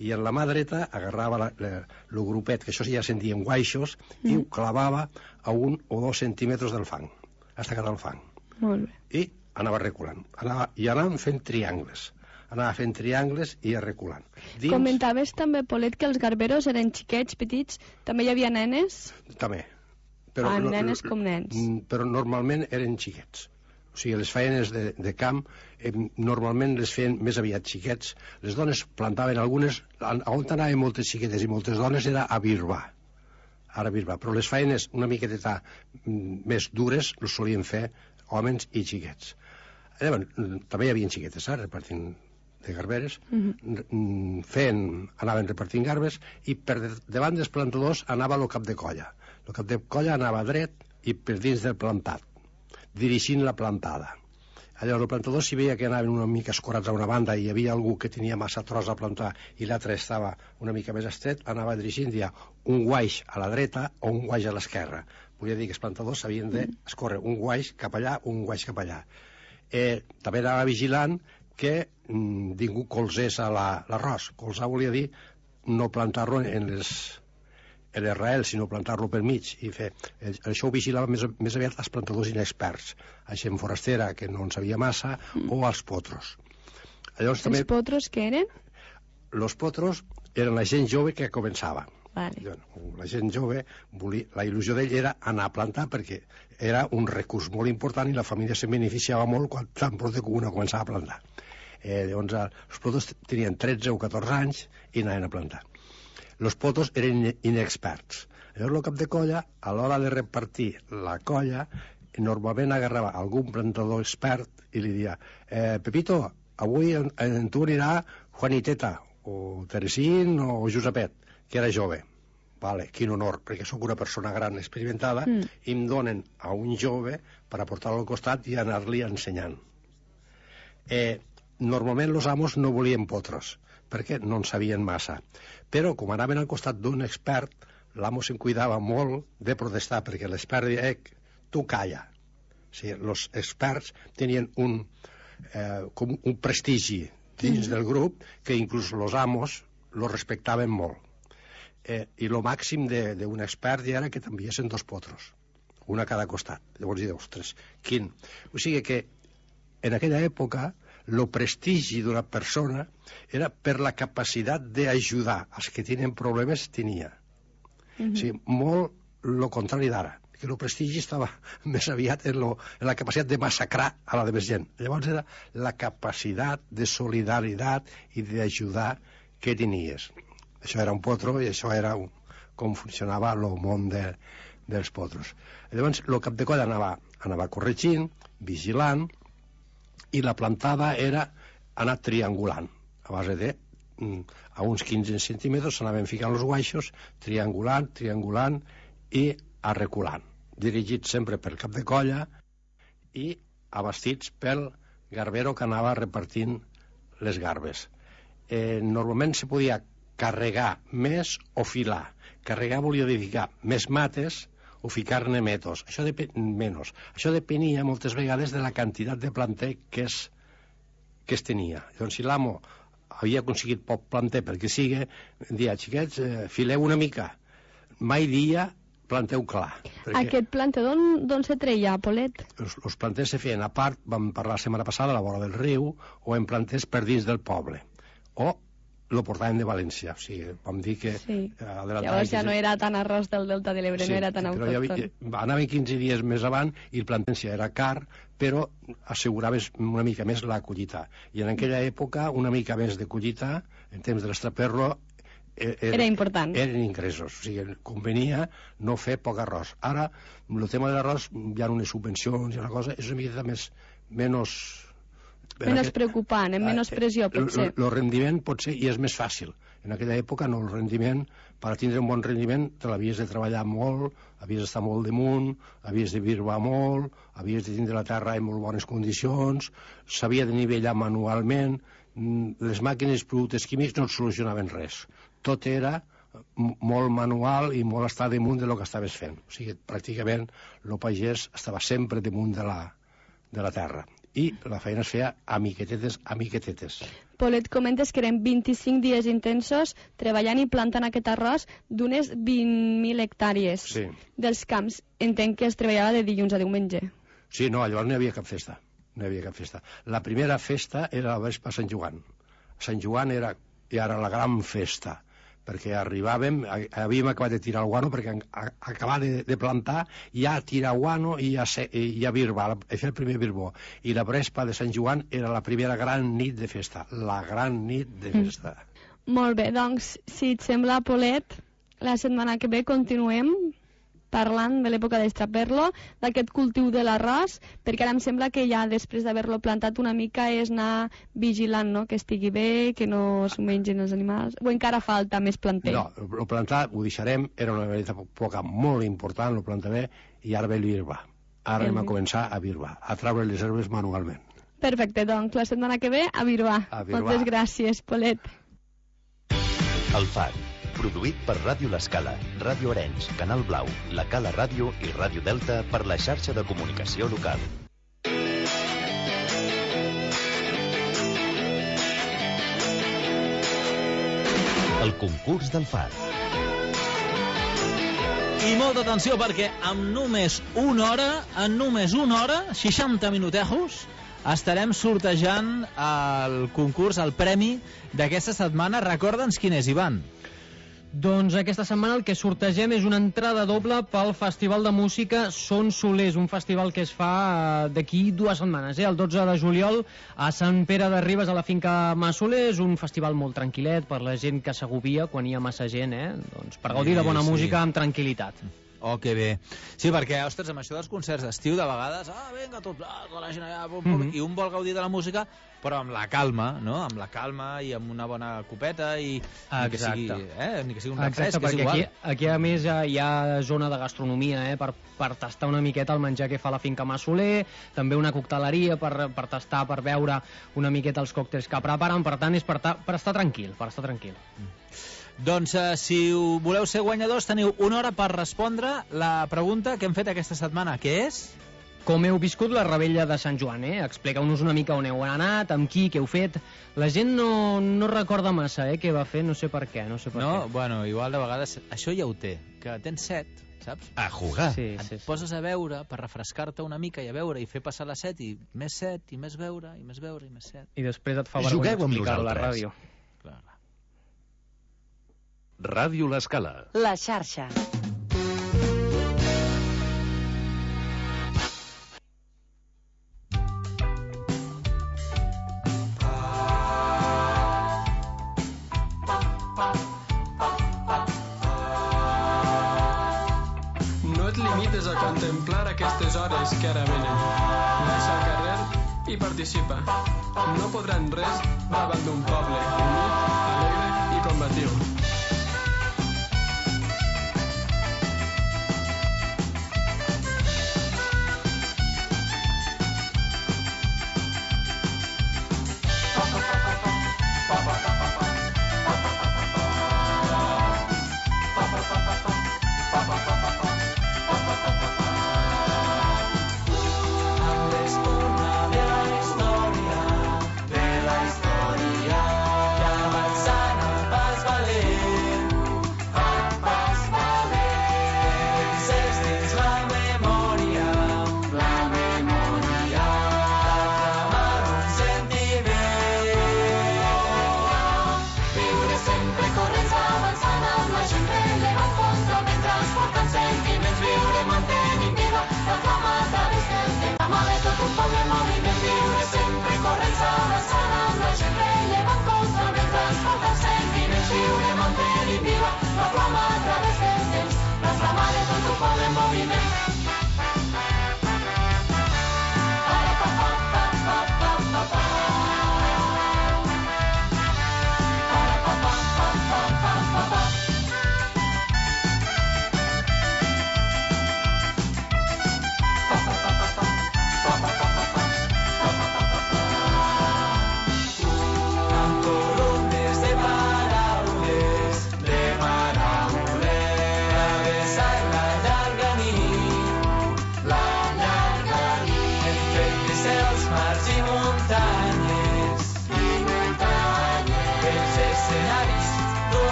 I en la mà dreta agarrava el grupet, que això ja se'n dien guaixos, mm. i ho clavava a un o dos centímetres del fang, hasta quedar el fang. Molt bé. I anava reculant. Anava, I anàvem fent triangles. Anava fent triangles i reculant. Dins... Comentaves també, Polet, que els garberos eren xiquets, petits. També hi havia nenes? També. Però, ah, no, nenes com nens. Però normalment eren xiquets. O sigui, les feines de, de camp eh, normalment les feien més aviat xiquets. Les dones plantaven algunes, on anaven moltes xiquetes i moltes dones era a birbar. Ara a birbar. Però les feines una miqueta més dures les solien fer homes i xiquets. Llavors, també hi havia xiquetes, eh, repartint de garberes, uh-huh. fent, anaven repartint garbes, i per davant dels plantadors anava el cap de colla. El cap de colla anava dret i per dins del plantat, dirigint la plantada. Llavors el plantador, si veia que anaven una mica escorats a una banda i hi havia algú que tenia massa tros a plantar i l'altre estava una mica més estret, anava dirigint ja un guaix a la dreta o un guaix a l'esquerra. Volia dir que els plantadors s'havien d'escórrer un guaix cap allà, un guaix cap allà. Eh, també anava vigilant que mm, ningú colzés a l'arròs. La, Colzar volia dir no plantar-lo en les en les raels, sinó plantar-lo pel mig i fer... Això ho vigilava més, més aviat els plantadors inexperts, a gent forastera que no en sabia massa, mm. o els potros. Llavors, els també... potros què eren? Els potros eren la gent jove que començava. Vale. La gent jove, volia, la il·lusió d'ell era anar a plantar perquè era un recurs molt important i la família se beneficiava molt quan tan prop que una començava a plantar. Eh, llavors, els potros tenien tretze o catorze anys i anaven a plantar. Els potros eren inexperts. Llavors el cap de colla, a l'hora de repartir la colla, normalment agarrava algun plantador expert i li dia eh, Pepito, avui en, en tu anirà Juaniteta, o Teresín, o Josepet, que era jove. Vale, quin honor, perquè sóc una persona gran experimentada mm. i em donen a un jove per aportar-lo al costat i anar-li ensenyant. Eh, normalment els amos no volien potros, perquè no en sabien massa. Però, com anaven al costat d'un expert, l'amo se'n cuidava molt de protestar, perquè l'expert deia, eh, tu calla. O sigui, els experts tenien un, eh, com un prestigi dins del grup que inclús els amos lo respectaven molt. Eh, I el màxim d'un expert ja era que t'enviessin dos potros, un a cada costat. Llavors, i ostres, quin... O sigui que, en aquella època, el prestigi d'una persona era per la capacitat d'ajudar. Els que tenen problemes tenia. Mm-hmm. O sigui, molt el contrari d'ara, que el prestigi estava més aviat en, lo, en la capacitat de massacrar a la de més gent. Llavors era la capacitat de solidaritat i d'ajudar que tenies. Això era un potro i això era un, com funcionava el món de, dels potros. Llavors el cap de colla anava, anava corregint, vigilant, i la plantada era anar triangulant a base de a uns quinze centímetres s'anaven ficant els guaixos, triangulant, triangulant i arreculant, dirigits sempre pel cap de colla i abastits pel garbero que anava repartint les garbes. Eh, normalment se podia carregar més o filar. Carregar volia dir ficar més mates o ficar-ne metos. Això depèn menys. Això depenia moltes vegades de la quantitat de planter que es, que es tenia. Llavors, si l'amo havia aconseguit poc planter perquè sigui, dia, xiquets, eh, fileu una mica. Mai dia planteu clar. Aquest planter d'on se treia, Polet? Els, els planters se feien a part, vam parlar la setmana passada, a la vora del riu, o en planters per dins del poble. O lo portaven de València, o sigui, vam dir que... Sí. Eh, llavors ja no era tan arròs del Delta de l'Ebre, sí, no era tan autòcton. Havia, anaven quinze dies més avant i el plantència era car, però asseguraves una mica més la collita. I en aquella època, una mica més de collita, en temps de l'estraperlo, era, era important. Eren ingressos, o sigui, convenia no fer poc arròs. Ara, el tema de l'arròs, hi ha unes subvencions i una cosa, és una mica més, menys... Menys aquest, preocupant, amb menys pressió, potser. El rendiment pot ser, i és més fàcil. En aquella època, no, el rendiment, per tindre un bon rendiment, te l'havies de treballar molt, havies d'estar molt damunt, havies de birbar molt, havies de tindre la terra en molt bones condicions, s'havia de nivellar manualment, les màquines, productes químics no et solucionaven res. Tot era molt manual i molt estar damunt de lo que estaves fent. O sigui, pràcticament el pagès estava sempre damunt de la, de la terra. I la feina es feia a miquetetes, a miquetetes. Polet, comentes que eren vint-i-cinc dies intensos treballant i plantant aquest arròs d'unes vint mil hectàrees sí. dels camps. Entenc que es treballava de dilluns a diumenge. Sí, no, llavors no hi havia cap festa. No hi havia cap festa. La primera festa era la vespa a Sant Joan. Sant Joan era, era la gran festa, perquè arribàvem, havíem acabat de tirar el guano, perquè a, acabar de, de plantar, ja tirar guano i ja, se, i ja birba, fer el primer birbó. I la vespa de Sant Joan era la primera gran nit de festa, la gran nit de festa. Mm. Molt bé, doncs, si et sembla, Polet, la setmana que ve continuem parlant de l'època d'Estraperlo, d'aquest cultiu de l'arròs, perquè ara em sembla que ja després d'haver-lo plantat una mica és anar vigilant, no?, que estigui bé, que no s'ho mengin els animals, o encara falta més planter? No, el plantar ho deixarem, era una època molt important, el plantar bé, i ara ve el birba. Ara hem a començar a birba, a treure les herbes manualment. Perfecte, doncs la setmana que ve a birbar. A birbar. Moltes gràcies, Polet. El Far, produït per Ràdio L'Escala, Ràdio Arenys, Canal Blau, La Cala Ràdio i Ràdio Delta per la xarxa de comunicació local. El concurs del Far. I molta atenció perquè amb només una hora, en només una hora, seixanta minutejos, estarem sortejant el concurs, el premi d'aquesta setmana. Recorda'ns quin és, Ivan. Doncs aquesta setmana el que sortegem és una entrada doble pel Festival de Música Son Solers, un festival que es fa d'aquí dues setmanes, eh? El dotze de juliol a Sant Pere de Ribes, a la finca Massoler. És un festival molt tranquil·let per la gent que s'agobia quan hi ha massa gent, eh? Doncs per gaudir de bona Sí, sí. música amb tranquil·litat. Oh, que bé. Sí, perquè, ostres, amb això dels concerts d'estiu, de vegades, ah, vinga, tot, ah, tota la gent allà, pum, pum, Mhm. i un vol gaudir de la música, però amb la calma, no? Amb la calma i amb una bona copeta i ni que sigui, eh? Ni que sigui un refresc, que és perquè igual. aquí, aquí a més hi ha zona de gastronomia, eh? per, per tastar una miqueta el menjar que fa la finca Massoler, també una cocteleria per, per tastar, per veure una miqueta els còctels que preparen. Per tant, és per, ta, per estar tranquil, per estar tranquil. Doncs eh, si ho voleu ser guanyadors, teniu una hora per respondre la pregunta que hem fet aquesta setmana, que és... Com heu viscut la rebella de Sant Joan, eh? Expliqueu-nos una mica on heu anat, amb qui, què heu fet. La gent no, no recorda massa, eh, què va fer, no sé per què, no sé per No, què. bueno, igual de vegades això ja ho té, que tens set, saps? A jugar. Sí, Et sí, sí. poses a veure per refrescar-te una mica i a veure i fer passar la set i més set i més veure i més veure i més set. I després et fa vergonya Jugueu amb explicar-ho a la nosaltres. ràdio. Clar, clar. Ràdio L'Escala. La xarxa. No et limites a contemplar aquestes hores que ara venen. Baixa al carrer i participa. No podran res davant d'un poble unit, alegre i combatiu. Avançant el pas valent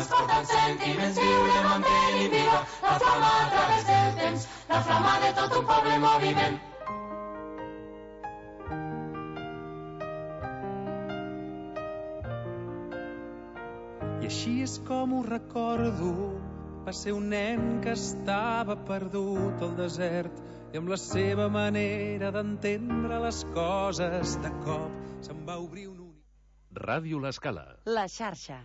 transporten sentiments, viurem amb ell i viva la flama a través del temps, la flama de tot un poble en moviment. I així és com ho recordo, va ser un nen que estava perdut al desert i amb la seva manera d'entendre les coses de cop se'n va obrir un únic... Ràdio L'Escala. La xarxa.